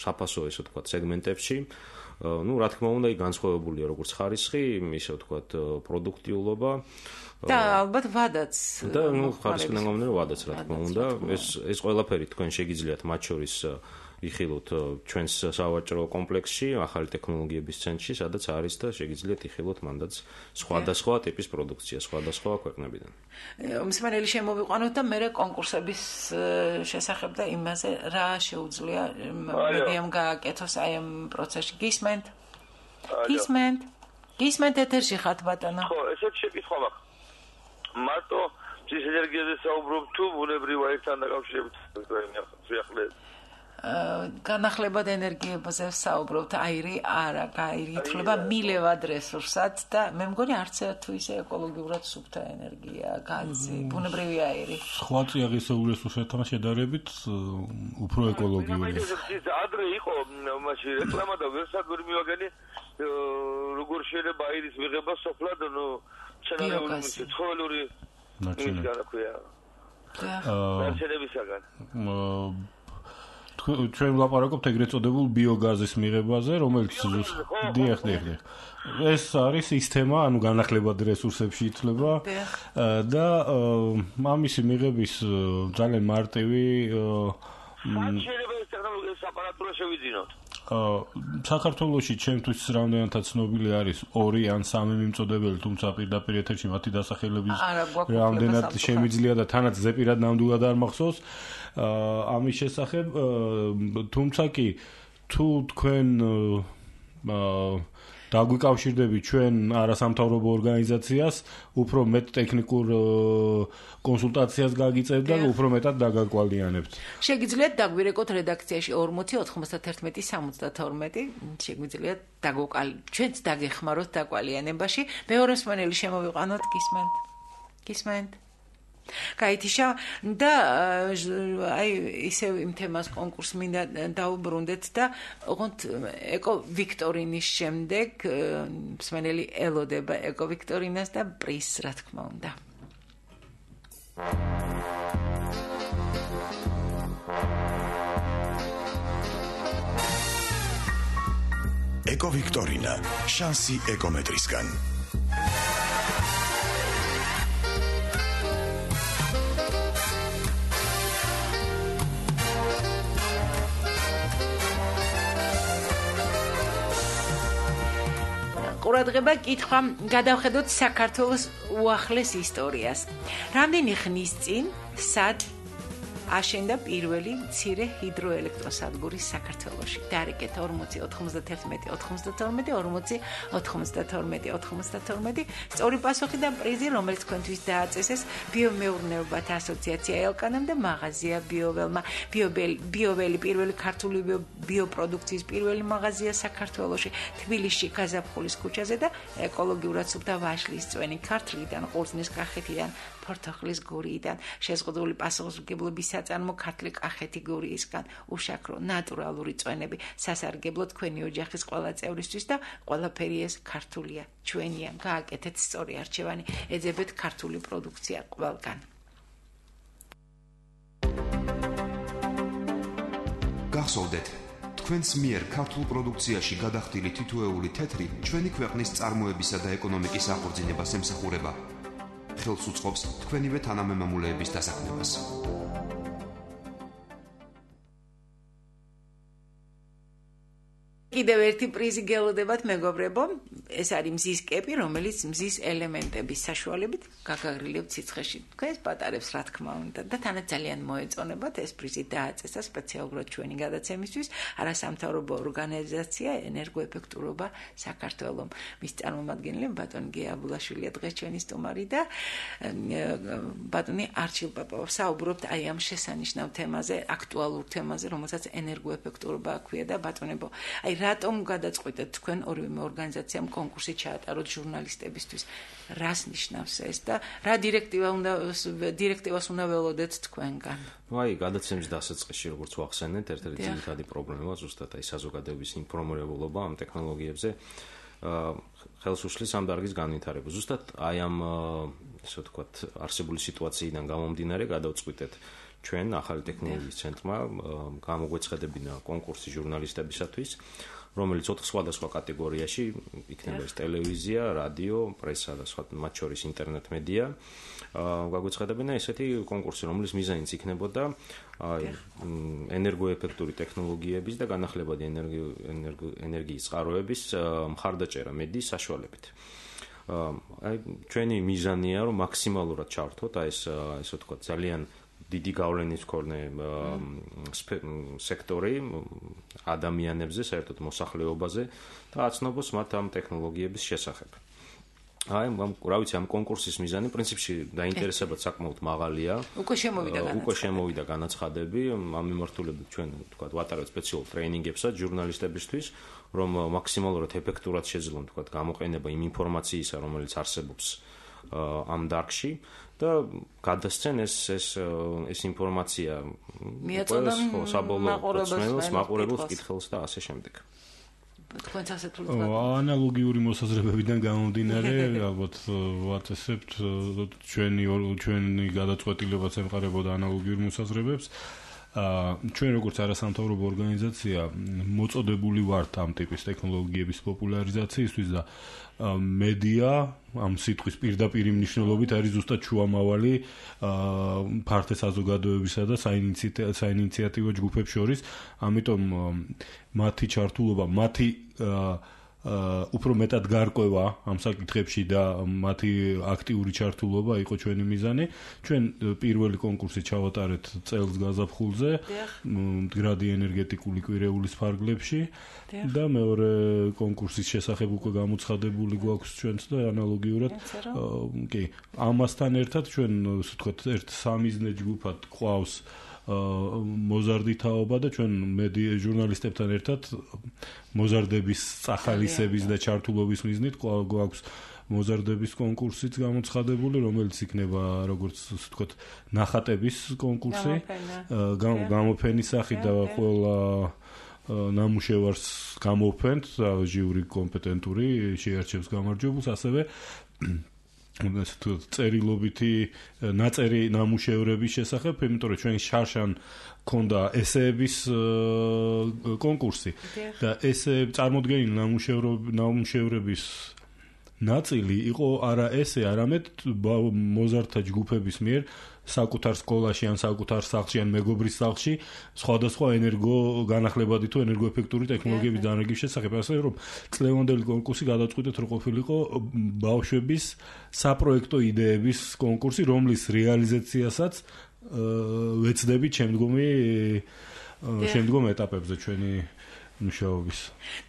საფასო, ესე ვთქვათ, სეგმენტებში. რა თქმა უნდა, განსხვავებულია როგორც ხარისხი, ისე ვთქვათ, პროდუქტიულობა და ალბათ ვადაც. და ხარისხიდან გამომდინარე ვადაც, რა თქმა უნდა, ეს ყველაფერი თქვენ შეგიძლიათ მათ შორის იხილოთ ჩვენს სავაჭრო კომპლექსში, ახალი ტექნოლოგიების ცენტრში, სადაც არის და შეგიძლიათ იხილოთ მანდაც სხვადასხვა ტიპის პროდუქცია, სხვადასხვა ქვეყნებიდან. მსმენელი შემოვიყვანოთ და მე კონკურსების შესახებ და იმაზე რა შეუძლია მედიამ გააკეთოს აი ამ პროცესში. გისმენთ? გისმენთ ეთერში ხართ ბატონო? ხო, ესეც შეკითხვა მაქვს. მარტო მზის ენერგიაზე საუბრობ თუ ბუნებრივ აირთან დაკავშირებით შეახლეთ? განახლებად ენერგიებზე საუბრობთ, აირი არა, აირი ითვლება მილევად რესურსად და მე მგონი არც თუ ისე ეკოლოგიურად სუფთა ენერგია, გაზი, ბუნებრივი აირი. სხვა წიაღისეულ რესურსებთან შედარებით უფრო ეკოლოგიური. ადრე იყო მაშინ რეკლამა და ვერსაგური მივაგენი როგორ შეიძლება აირის მიღება სოფლად, ცენარეული ცხოველური განაქვია. ნარჩენებისაგან. ჩვენ ვლაპარაკობთ ეგრეთ წოდებულ ბიოგაზის მიღებაზე, რომელიც დიახ. ეს არის სისტემა, ანუ განახლებად რესურსებში ითვლება და ამისი მიღების ძალიან მარტივი შეიძლება ეს ტექნოლოგია აპარატურა შევიძინოთ. საქართველოში ჩემთვის რამდენადაც ცნობილი არის 2 ან 3 მიმწოდებელი, თუმცა პირდაპირ ეთერში მათი დასახელების რამდენად შემიძლია და თანაც ზეპირად ნამდვილად არ მახსოვს ამის შესახებ, თუმცა კი თუ თქვენ დაგვიკავშირდებით ჩვენ არასამთავრობო ორგანიზაციას, უფრო მეტ ტექნიკურ კონსულტაციას გაგიწევთ და უფრო მეტად დაგაკვალიანებთ. შეგიძლიათ დაგვირეკოთ რედაქციაში 40 92 შეგვიძლიათ ჩვენც დაგეხმაროთ დაკვალიანებაში. მეორე მსმენელი შემოვიყვანოთ, გისმენთ? გაითიშა და აი ისევ იმ თემას კონკურს მინდა დაუბრუნდეთ და ოღონდ ეკო ვიქტორინის შემდეგ მსმენელი ელოდება ეკო ვიქტორინას და პრიზს, რა თქმა უნდა. ეკო ვიქტორინა, შანსი ეკომეტრისგან. ყურადღება კითხვა გადავხედოთ საქართველოს უახლეს ისტორიას. რამდენი ხნის წინ სად აშენდა პირველი მცირე ჰიდროელექტროსადგური საქართველოში? დარეკეთ 40 91 92 40 92 92. სწორი პასუხი და პრიზი, რომელიც თქვენთვის დააწესეს ბიომეურნეობათა ასოციაცია ელკანამ და მაღაზია ბიოველმა. ბიოველი პირველი ქართული ბიოპროდუქციის პირველი მაღაზია საქართველოში, თბილისში გაზაფხულის ქუჩაზე და ეკოლოგიურად სუფთა ვაშლის წვენი ქართლიდან, ყურძნის კახეთიდან, ფორთოხლის გურიიდან, შეზღუდული პასუხისმგებლობის საწარმო ქართლი კახეთი გურიისგან, უშაქრო ნატურალური წვენები, სასარგებლო თქვენი ოჯახის ყველა წევრისთვის და ყველაფერი ეს ქართულია, ჩვენია. გააკეთეთ სწორი არჩევანი, ეძებეთ ქართული პროდუქცია ყველგან. გახსოვდეთ, თქვენს მიერ ქართულ პროდუქციაში გადახდილი თითოეული თეთრი ჩვენი ქვეყნის წარმოებისა და ეკონომიკის აღორძინებას ემსახურება. ხელს უწყობს თქვენივე თანამემამულეების დასაქმებას. კიდევ ერთი პრიზი გელოდებათ მეგობრებო, ეს არის მზის კეპი, რომელიც მზის ელემენტების საშუალებით გაგაგრილებთ სიცხეში. თქვენს პატარებს რა თქმა უნდა და თანაც ძალიან მოეწონებათ ეს პრიზი დააწესა სპეციალურად ჩვენი გადაცემისთვის არასამთავრობო ორგანიზაცია ენერგოეფექტურობა საქართველოს. მის წარმომადგენელი ბატონი გია აბულაშვილია დღეს ჩვენი სტუმარი და ბატონი არჩილ პაპავა საუბრობთ აი ამ შესანიშნავ თემაზე, აქტუალურ თემაზე, რომელსაც ენერგოეფექტურობა ქვია და ბატონებო, აი რატომ გადაწყვიტეთ თქვენ ორივე ორგანიზაციამ კონკურსი ჩაატაროთ ჟურნალისტებისთვის? რას ნიშნავს ეს და რა დირექტივას უნდა ველოდეთ თქვენგან? აი, გადაცემის დასაწყისში როგორც ვახსენეთ, ერთ-ერთი ძირითადი პრობლემა ზუსტად აი საზოგადოების ინფორმირებულობა ამ ტექნოლოგიებზე ხელს უშლის ამ დარგის განვითარება. ზუსტად აი ამ ესე ვთქვათ, არსებული სიტუაციიდან გამომდინარე გადავწყვიტეთ ჩვენ ახალი ტექნოლოგიის ცენტრმა გამოგვეცხადებინა კონკურსი ჟურნალისტებისათვის, რომელიც 4 სხვადასხვა კატეგორიაში იქნება ეს ტელევიზია, რადიო, პრესა და სხვა მათ შორის ინტერნეტ მედია. გაგვეცხადებინა ესეთი კონკურსი, რომლის მიზანიც იქნებოდა ენერგოეფექტური ტექნოლოგიების და განახლებადი ენერგიის წყაროების მხარდაჭერა მედიის საშუალებით. აი ჩვენი მიზანია რომ მაქსიმალურად ჩავართოთ აი ეს ასე ვთქვათ ძალიან დიდი გავლენის მქონე სექტორი ადამიანებზე, საერთოდ მოსახლეობაზე და აცნობს მათ ამ ტექნოლოგიების შესახებ. აი, რა ვიცი, ამ კონკურსის მიზანი პრინციპში დაინტერესებად საკმაოდ მაღალია. უკვე შემოვიდა განაცხადები, ამ მიმართულებით ჩვენ ვთქვათ ვატარებთ სპეციალურ ტრეინინგებსაც ჟურნალისტებისთვის, რომ მაქსიმალურად ეფექტურად შეძლონ ვთქვათ გამოყენება იმ ინფორმაციისა, რომელიც არსებობს ამ დარგში და გადასცენ ეს ინფორმაცია მიაწოდონ საბოლოო მაყურებელს კითხელს და ასე შემდეგ. თქვენც ასეთ ანალოგიური მოსაზრებებიდან გამომდინარე, ალბათ ვაწესებთ ჩვენი გადაწყვეტილებაც ემყარებოდა ანალოგიურ მოსაზრებებს. ჩვენ როგორც არასამთავრობო ორგანიზაცია მოწოდებული ვართ ამ ტიპის ტექნოლოგიების პოპულარიზაციისთვის და მედია ამ სიტყვის პირდაპირ მნიშვნელობით არის ზუსტად შუამავალი ფართე საზოგადოებისა და საინიციატივო ჯგუფებს შორის, ამიტომ მათი ჩართულობა, მათი უფრო მეტად გარკვევა ამ საკითხებში და მათი აქტიური ჩართულობა იყო ჩვენი მიზანი. ჩვენ პირველი კონკურსი ჩავატარეთ წელს გაზაფხულზე, მდგრადი ენერგეტიკული კვირეულის ფარგლებში და მეორე კონკურსის შესახებ უკვე გამოცხადებული გვაქვს ჩვენც და ანალოგიურად კი, ამასთან ერთად ჩვენ ასე ვთქვათ, ერთ სამიზნე ჯგუფად ყავს მოზარდი თაობა და ჩვენ მედია ჟურნალისტებთან ერთად მოზარდების წახალისების და ჩართულობის მიზნით გვაქვს მოზარდების კონკურსიც გამოცხადებული, რომელიც იქნება როგორც ასე ვთქვათ ნახატების კონკურსი, გამოფენის სახით და ყველა ნამუშევარს გამოფენთ, ჟიური კომპეტენტური შეარჩევს გამარჯვებულს, ასევე წერილობითი ნაწერი ნამუშევრების შესახებ, იმიტომ რომ ჩვენ შარშან ქონდა ესეების კონკურსი და ესე წარმოდგენილი ნამუშევრების ნაწილი იყო არა ესე, არამედ მოზარდთა ჯგუფების მიერ საკუთარ სკოლაში ან საკუთარ სახლში ან მეგობრის სახლში სხვადასხვა განახლებადი თუ ენერგოეფექტური ტექნოლოგიების დანერგის შესახებ, ასე რომ წლევანდელი კონკურსი გადაწყვიტეთ რომ ყოფილიყო ბავშვების საპროექტო იდეების კონკურსი, რომლის რეალიზაციასაც ვეცდებით შემდგომ ეტაპებზე ჩვენი მუშაობის.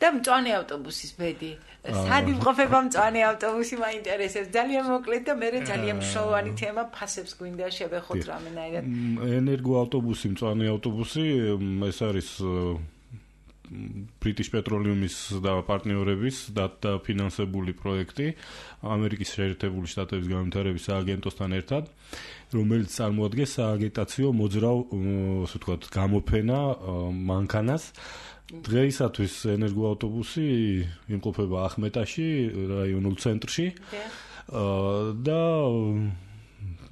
და მწვანე ავტობუსის ბედი. სად იმყოფება მწვანე ავტობუსი, მაინტერესებს. ძალიან მოკლედ და მე ძალიან მნიშვნელოვანი თემა, ფასებს გვინდა შევეხოთ რამენაირად. ენერგოავტობუსი, მწვანე ავტობუსი, ეს არის British Petroleum-ის და პარტნიორების დაფინანსებული პროექტი ამერიკის შეერთებული შტატების განვითარების სააგენტოსთან ერთად, რომელიც წარმოადგენს სააგიტაციო მოძრავ, ასე ვთქვათ, გამოფენა მანქანას. დღეისათვის ენერგოავტობუსი იმყოფება ახმეტაში, რაიონულ ცენტრში და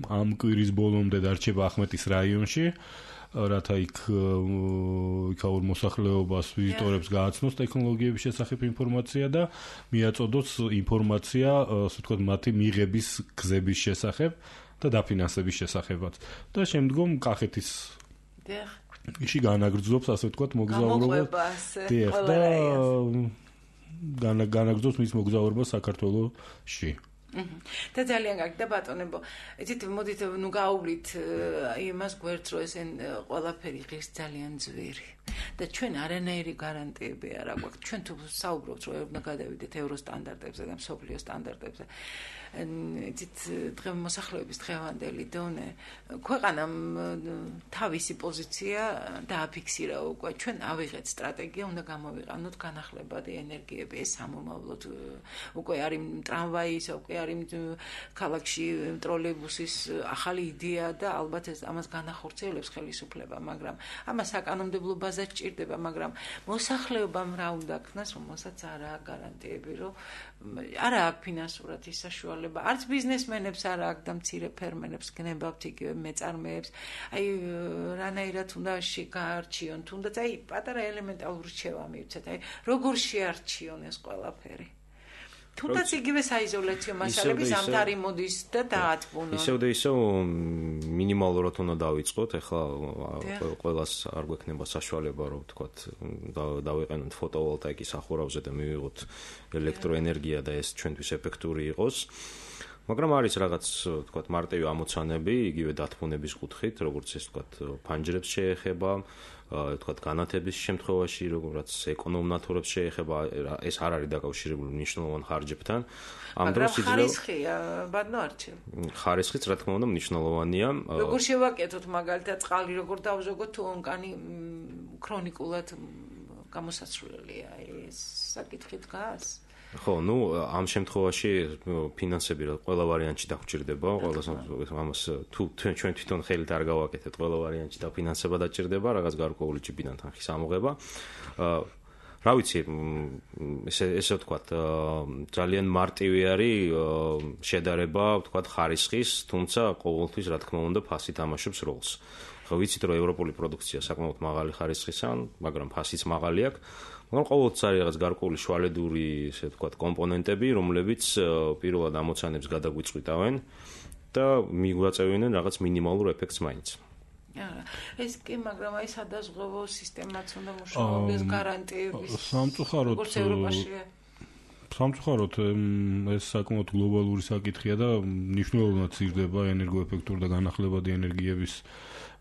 ამ კვირის ბოლომდე დარჩება ახმეტის რაიონში, რათა იქაურ მოსახლეობას ვიზიტორებს გააცნოს ტექნოლოგიების შესახებ ინფორმაცია და მიაწოდოს ინფორმაცია, ასე ვთქვათ, მათი მიღების გზების შესახებ და დაფინანსების შესახებაც. და შემდგომ კახეთის ისი განაგრძობს, ასე ვთქვათ, მოგზაურობას. და განაგრძობს მის მოგზაურობას საქართველოში. და ძალიან კარგი და ბატონებო, იცით, მოდით გავავლით იმას გვერდს, რომ ეს ყველაფერი ღირს ძალიან ძვირი. და ჩვენ არანაირი გარანტიები არ აქვს. ჩვენ თუ საუბრობთ, რომ უნდა გადავიდეთ ევროსტანდარტებზე და მსოფლიო სტანდარტებზე. იცით, მოსახლეობის დღევანდელი დონე ქვეყანამ თავისი პოზიცია დააფიქსირა უკვე. ჩვენ ავიღეთ სტრატეგია, უნდა გამოვიყანოთ განახლებადი ენერგიები, ეს სამომავლოდ უკვე არის ტრამვაის, უკვე არის ქალაქში ტროლეიბუსის ახალი იდეა და ალბათ ეს ამას განახორციელებს ხელისუფლება, მაგრამ ამას საკანონმდებლო ბაზა სჭირდება, მაგრამ მოსახლეობამ რა უნდა ქნას, რომელსაც არ აქვს გარანტიები, რომ არ აქვს ფინანსურად ის საშუალება, არც ბიზნესმენებს არ აქვს და მცირე ფერმერებს გნებავთ იგივე მეწარმეებს. აი რანაირად უნდა გაარჩიონ, თუნდაც აი პატარა ელემენტარული რჩევა მივცეთ, აი როგორ შეარჩიონ ეს ყველაფერი. თუნდაც იგივე საიზოლაციო მასალები ზამთარი მოდის და დაათბუნონ. ისევ და ისევ მინიმალურად უნდა დავიწყოთ, ეხლა ყველას არ გვექნება საშუალება, რომ ვთქვათ, დავიყენოთ ფოტოვოლტაიკის სახურავზე და მივიღოთ ელექტროენერგია და ეს ჩვენთვის ეფექტური იყოს. მაგრამ არის რაღაც, ვთქვათ, მარტივი ამოცანები, იგივე დათბუნების კუთხით, როგორც ეს, ვთქვათ, ფანჯრებს შეეხება, ვთქვათ, განათების შემთხვევაში, როგორც ეკონომნათურებს შეეხება, ეს არ არის დაკავშირებული მნიშვნელოვან ხარჯებთან. ამ დროს იძლევა ხარისხია, ბატონო არჩილ. ხარისხიც, რა თქმა უნდა, მნიშვნელოვანია. როგორ შევაკეთოთ მაგალითად წყალი, როგორ დავზოგოთ თუ ონკანი ქრონიკულად გამოსაცვლელია, ეს საკითხი დგას? ხო, ამ შემთხვევაში ფინანსები ყველა ვარიანტში დაგვჭირდება, ამას თუ ჩვენ თვითონ ხელით არ გავაკეთეთ, ყველა ვარიანტში დაფინანსება დაჭირდება, რაღაც გარკვეული ჯიბიდან თანხის ამოღება. რა ვიცი, ესე ვთქვათ, ძალიან მარტივი არის შედარება, ვთქვათ, ხარისხის, თუმცა ყოველთვის, რა თქმა უნდა, ფასი თამაშობს როლს. ხო, ვიცით, რომ ევროპული პროდუქცია საკმაოდ მაღალი ხარისხისაა, მაგრამ ფასიც მაღალი აქვს. მაგრამ ყოველთვის არის რაღაც გარკვეული შუალედური, ესე ვთქვათ, კომპონენტები, რომლებიც პირველად ამოცანებს გადაგვიწყვიტავენ და მიგვაწევინენ რაღაც მინიმალურ ეფექტს მაინც. ეს კი, მაგრამ აი სადაზღვევო სისტემაც უნდა მუშაობის გარანტიების. სამწუხაროდ ეს საკმაოდ გლობალური საკითხია და მნიშვნელოვნად ცირდება ენერგოეფექტური და განახლებადი ენერგიების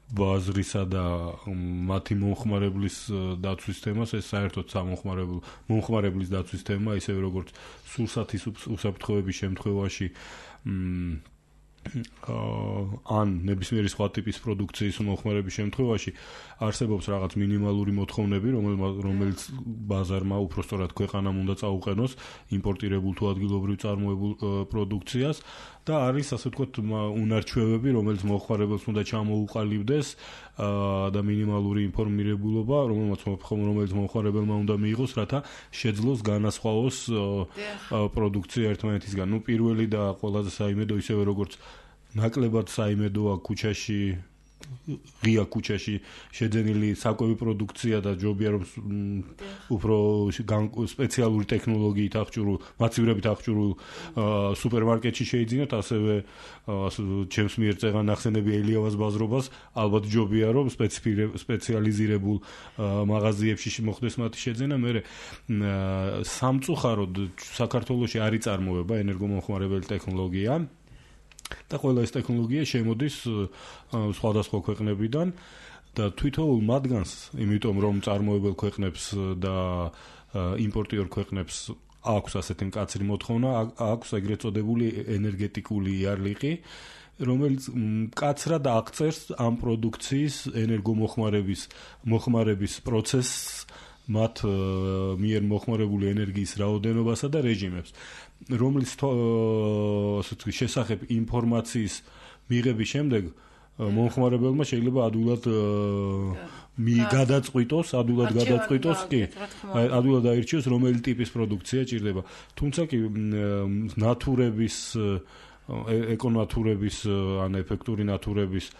ბაზრისა და მათი მომხმარებლის დაცვის თემას, ეს საერთოდ მომხმარებლის დაცვის თემა, ისევე როგორც სურსათის უსაფრთხოების შემთხვევაში ან ნებისმიერი სხვა ტიპის პროდუქციის მომხმარების შემთხვევაში არსებობს რაღაც მინიმალური მოთხოვნები, რომელიც ბაზარმა უпростоრად ქვეყანამ უნდა წაუყენოს იმპორტირებულ თუ ადგილობრივ წარმოებულ პროდუქციას და არის, ასე ვთქვათ, უნარჩვევები, რომელიც მომხმარებელს უნდა ჩამოუყალიბდეს და მინიმალური ინფორმირებულობა, რომელიც მომხმარებელმა უნდა მიიღოს, რათა შეძლოს განასხვაოს პროდუქცია ერთმანეთისგან. პირველი და ყველაზე საიმედო, ისევე როგორც ნაკლებად საიმედოა ქუჩაში, ღია ქუჩაში შეძენილი საკვები პროდუქცია და ჯობია რომ უფრო სპეციალური ტექნოლოგიით აღჭურვილ, მაცივრებით აღჭურვილ სუპერმარკეტში შეიძინოთ, ასევე ჩემს მიერ წეღან ახსენები ელიავას ბაზრობას, ალბათ ჯობია რომ სპეციალიზირებულ მაღაზიებში მოხდეს მათი შეძენა. მე სამწუხაროდ საქართველოში არ იწარმოება ენერგომომხმარებელი ტექნოლოგია და ყველა ეს ტექნოლოგია შემოდის სხვადასხვა ქვეყნებიდან და თვითოულ მათგანს, იმიტომ რომ წარმოებელ ქვეყნებს და იმპორტიორ ქვეყნებს აქვს ასეთი მკაცრი მოთხოვნა, აქვს ეგრეთ წოდებული ენერგეტიკული იარლიყი, რომელიც მკაცრად აღწერს ამ პროდუქციის ენერგომოხმარების პროცესს, მათ მიერ მოხმარებული ენერგიის რაოდენობასა და რეჟიმებს, რომლის შესახებ ინფორმაციის მიღების შემდეგ მომხმარებელმა შეიძლება ადვილად გადაწყვიტოს, კი, ადვილად აირჩიოს, რომელი ტიპის პროდუქცია ჭირდება. თუმცა კი ნატურების, ეკონატურების, ან ეფექტური ნატურების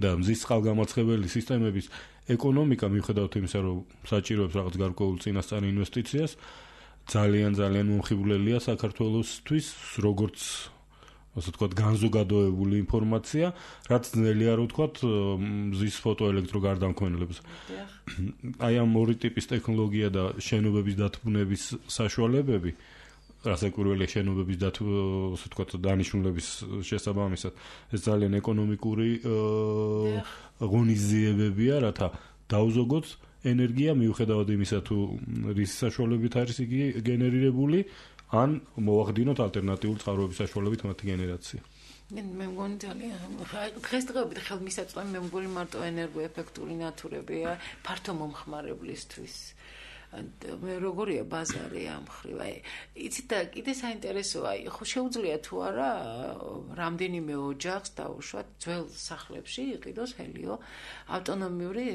და მზის წყალგამაცხებელი სისტემების ეკონომიკა, მიუხედავად იმისა, რომ საჭიროებს რაღაც გარკვეულ წინასწარ ინვესტიციას, ძალიან მომხიბვლელია საქართველოსთვის, როგორც ასე ვთქვათ, განზოგადოებული ინფორმაცია, რაც ძნელია რო ვთქვათ, მზის ფოტოელექტროგარდამქმნელებს. აი ამ ორი ტიპის ტექნოლოგია და შენობების დათბუნების საშუალებები, რაც ეკვირველია შენობების ასე ვთქვათ, დანიშნულების შესაბამისად, ეს ძალიან ეკონომიკური ღონისძიებებია, რათა დავზოგოთ ენერგია მიუხედავად იმისა, თუ რის საშუალებით არის იგი გენერირებული, ან მოვახდინოთ ალტერნატიული წყაროების საშუალებით მათი გენერაცია. მე მგონი ძალიან დღესდღეობით ხელმისაწვდომი მე მგონი მარტო ენერგოეფექტური ნათურებია ფართო მომხმარებლისთვის. მე როგორია ბაზარი ამ ხრივ, აი იცით და კიდე საინტერესოა, ხო შეუძლია თუ არა რამდენიმე ოჯახს დაუშვათ ძველ სახლებში იყიდოს ჰელიო ავტონომიური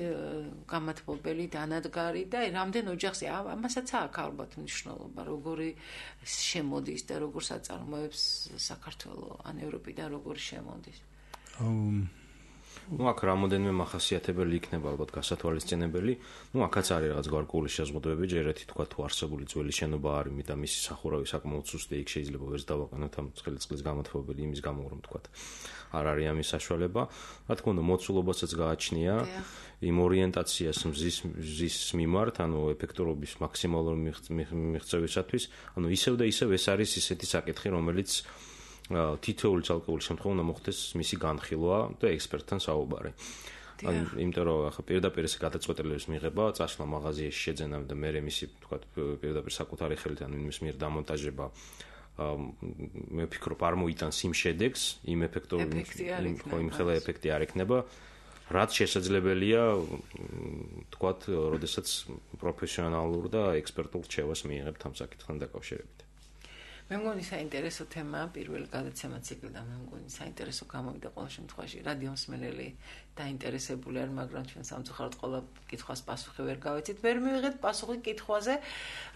გამათბობელი დანადგარი და რამდენ ოჯახს ამასაც აქვს ალბათ მნიშვნელობა, როგორი შემოდის და როგორ საწარმოებს საქართველოს ან ევროპიდან როგორი შემოდის. აქ რამოდენიმე მახასიათებელი იქნება ალბათ გასათვალისწინებელი. აქაც არის რაღაც გარკვეული შეზღუდვები, ჯერეთი თქვა თუ არსებული ძველი შენობა არის და მისი სახურავი საკმაოდ სუსტია, იქ შეიძლება ვერც დავაყენოთ ამ წლის გამათბობელი იმის გამო რომ თქვა არ არის ამის საშუალება. რა თქმა უნდა, მოცულობასაც გააჩნია იმ ორიენტაციას მზის მიმართ, ანუ ეფექტურობის მაქსიმალური მიღწევისათვის, ანუ ისევ და ისევ ეს არის ისეთი საკითხი, რომელიც თითოეული ცალკეული შემთხვევა უნდა მოხდეს მისი განხილვა და ექსპერტთან საუბარი. იმიტომ რომ ახლა პირდაპირ ეს გადაწყვეტილების მიღება, წასვლა მაღაზიაში შეძენა და მე მისი თქვა პირდაპირ საკუთარი ხელით ან იმის მიერ დამონტაჟება მე ვფიქრობ არ მოიტანს იმ შედეგს, იმ იმ ხელა ეფექტი არ ექნება, რაც შესაძლებელია თქვა, როდესაც პროფესიონალურ და ექსპერტულ რჩევას მიიღებთ ამ საკითხთან დაკავშირებით. მე მგონი საინტერესო თემაა პირველი გადაცემა ციკლიდან, მე მგონი საინტერესო გამოვიდა ყოველ შემთხვევაში რადიო მსმენელი დაინტერესებული არის, მაგრამ ჩვენ სამწუხაროდ ყველა კითხვას პასუხი ვერ გავეცით. ვერ მივიღეთ პასუხი კითხვაზე,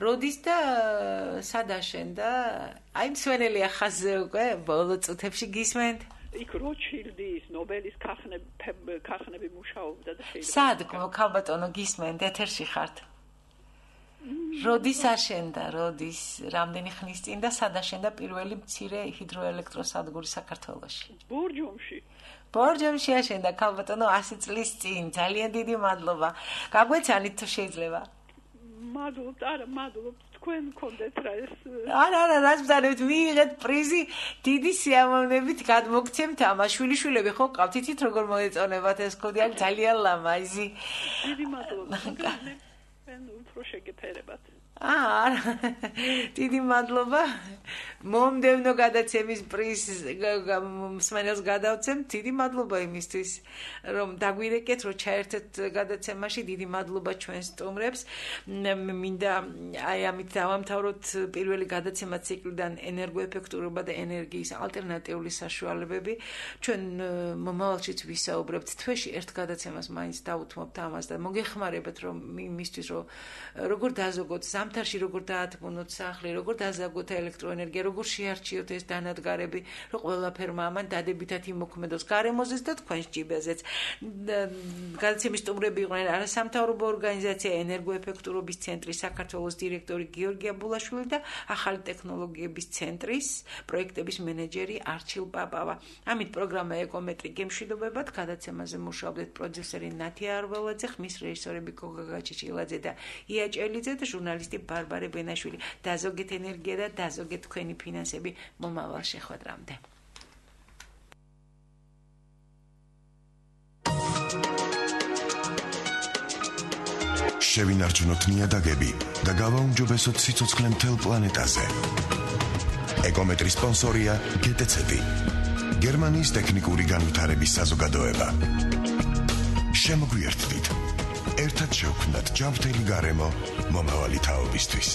როდის და სად აშენდა? აი მსმენელი ახაზე უკვე ბოლო წუთებში გისმენთ? იქ როჩილდის ნობელის ქახნები მუშაობდა და შეიძლება. სად ქალბატონო გისმენთ? ეთერში ხართ? როდის აშენდა, რამდენი ხნის წინ და სად აშენდა პირველი მცირე ჰიდროელექტროსადგური საქართველოში? ბორჯომში აშენდა ქალბატონო 100 წლის წინ. ძალიან დიდი მადლობა. გაგვეცანით თუ შეიძლება? მადლობთ, თქვენ გქონდეთ რა ეს. არა, რაც ვძანებთ, მიიღეთ პრიზი, დიდი სიამოვნებით გადმოგცემთ ამას. შვილიშვილები ხო ყავთ, იცით როგორ მოეწონებათ ეს კოდი, აქ ძალიან ლამაზი. დიდი მადლობა. უფრო შეგეფერებათ. დიდი მადლობა. მომდევნო გადაცემის პრიზს მსმენელს გადავცემთ. დიდი მადლობა იმისთვის, რომ დაგვირეკეთ, რომ ჩაერთეთ გადაცემაში. დიდი მადლობა ჩვენს სტუმრებს. მინდა აი ამით დავამთავროთ პირველი გადაცემა ციკლიდან ენერგოეფექტურობა და ენერგიის ალტერნატიული საშუალებები. ჩვენ მომავალშიც ვისაუბრებთ თვეში ერთ გადაცემას მაინც დავუთმობთ ამას და მოგეხმარებათ რომ იმისთვის რომ როგორ დაზოგოთ ზამთარში როგორ დაათბუნოთ სახლი, როგორ დაზაგოთ ელექტროენერგია, როგორ შეარჩიოთ ეს დანადგარები, რომ ყველაფერმა ამან დადებითად იმოქმედოს გარემოზეც და თქვენს ჯიბეზეც. გადაცემის სტუმრები იყვნენ არასამთავრობო ორგანიზაცია ენერგოეფექტურობის ცენტრის საქართველოს დირექტორი გიორგი აბულაშვილი და ახალი ტექნოლოგიების ცენტრის პროექტების მენეჯერი არჩილ პაპავა. ამით პროგრამა ეკომეტრი გემშვიდობებად გადაცემაზე მუშაობდეთ პროდიუსერი ნათია არველაძე, ხმის რეჟისორები გოგა გაჩეჩილაძე და ია ჭელიძე და ჟურნალისტი ბარბარე ბენაშვილი. დაზოგეთ ენერგია და დაზოგეთ თქვენი ფინანსები მომავალ შეხვედრამდე. შევინარჩუნოთ ნიადაგები და გავაუმჯობესოთ სიცოცხლე მთელ პლანეტაზე. ეკომეტრის სპონსორია GTC, გერმანიის ტექნიკური განვითარების საზოგადოება. შემოგვიერთდით. ერთად შევქმნათ ჯანმრთელი გარემო მომავალი თაობისთვის.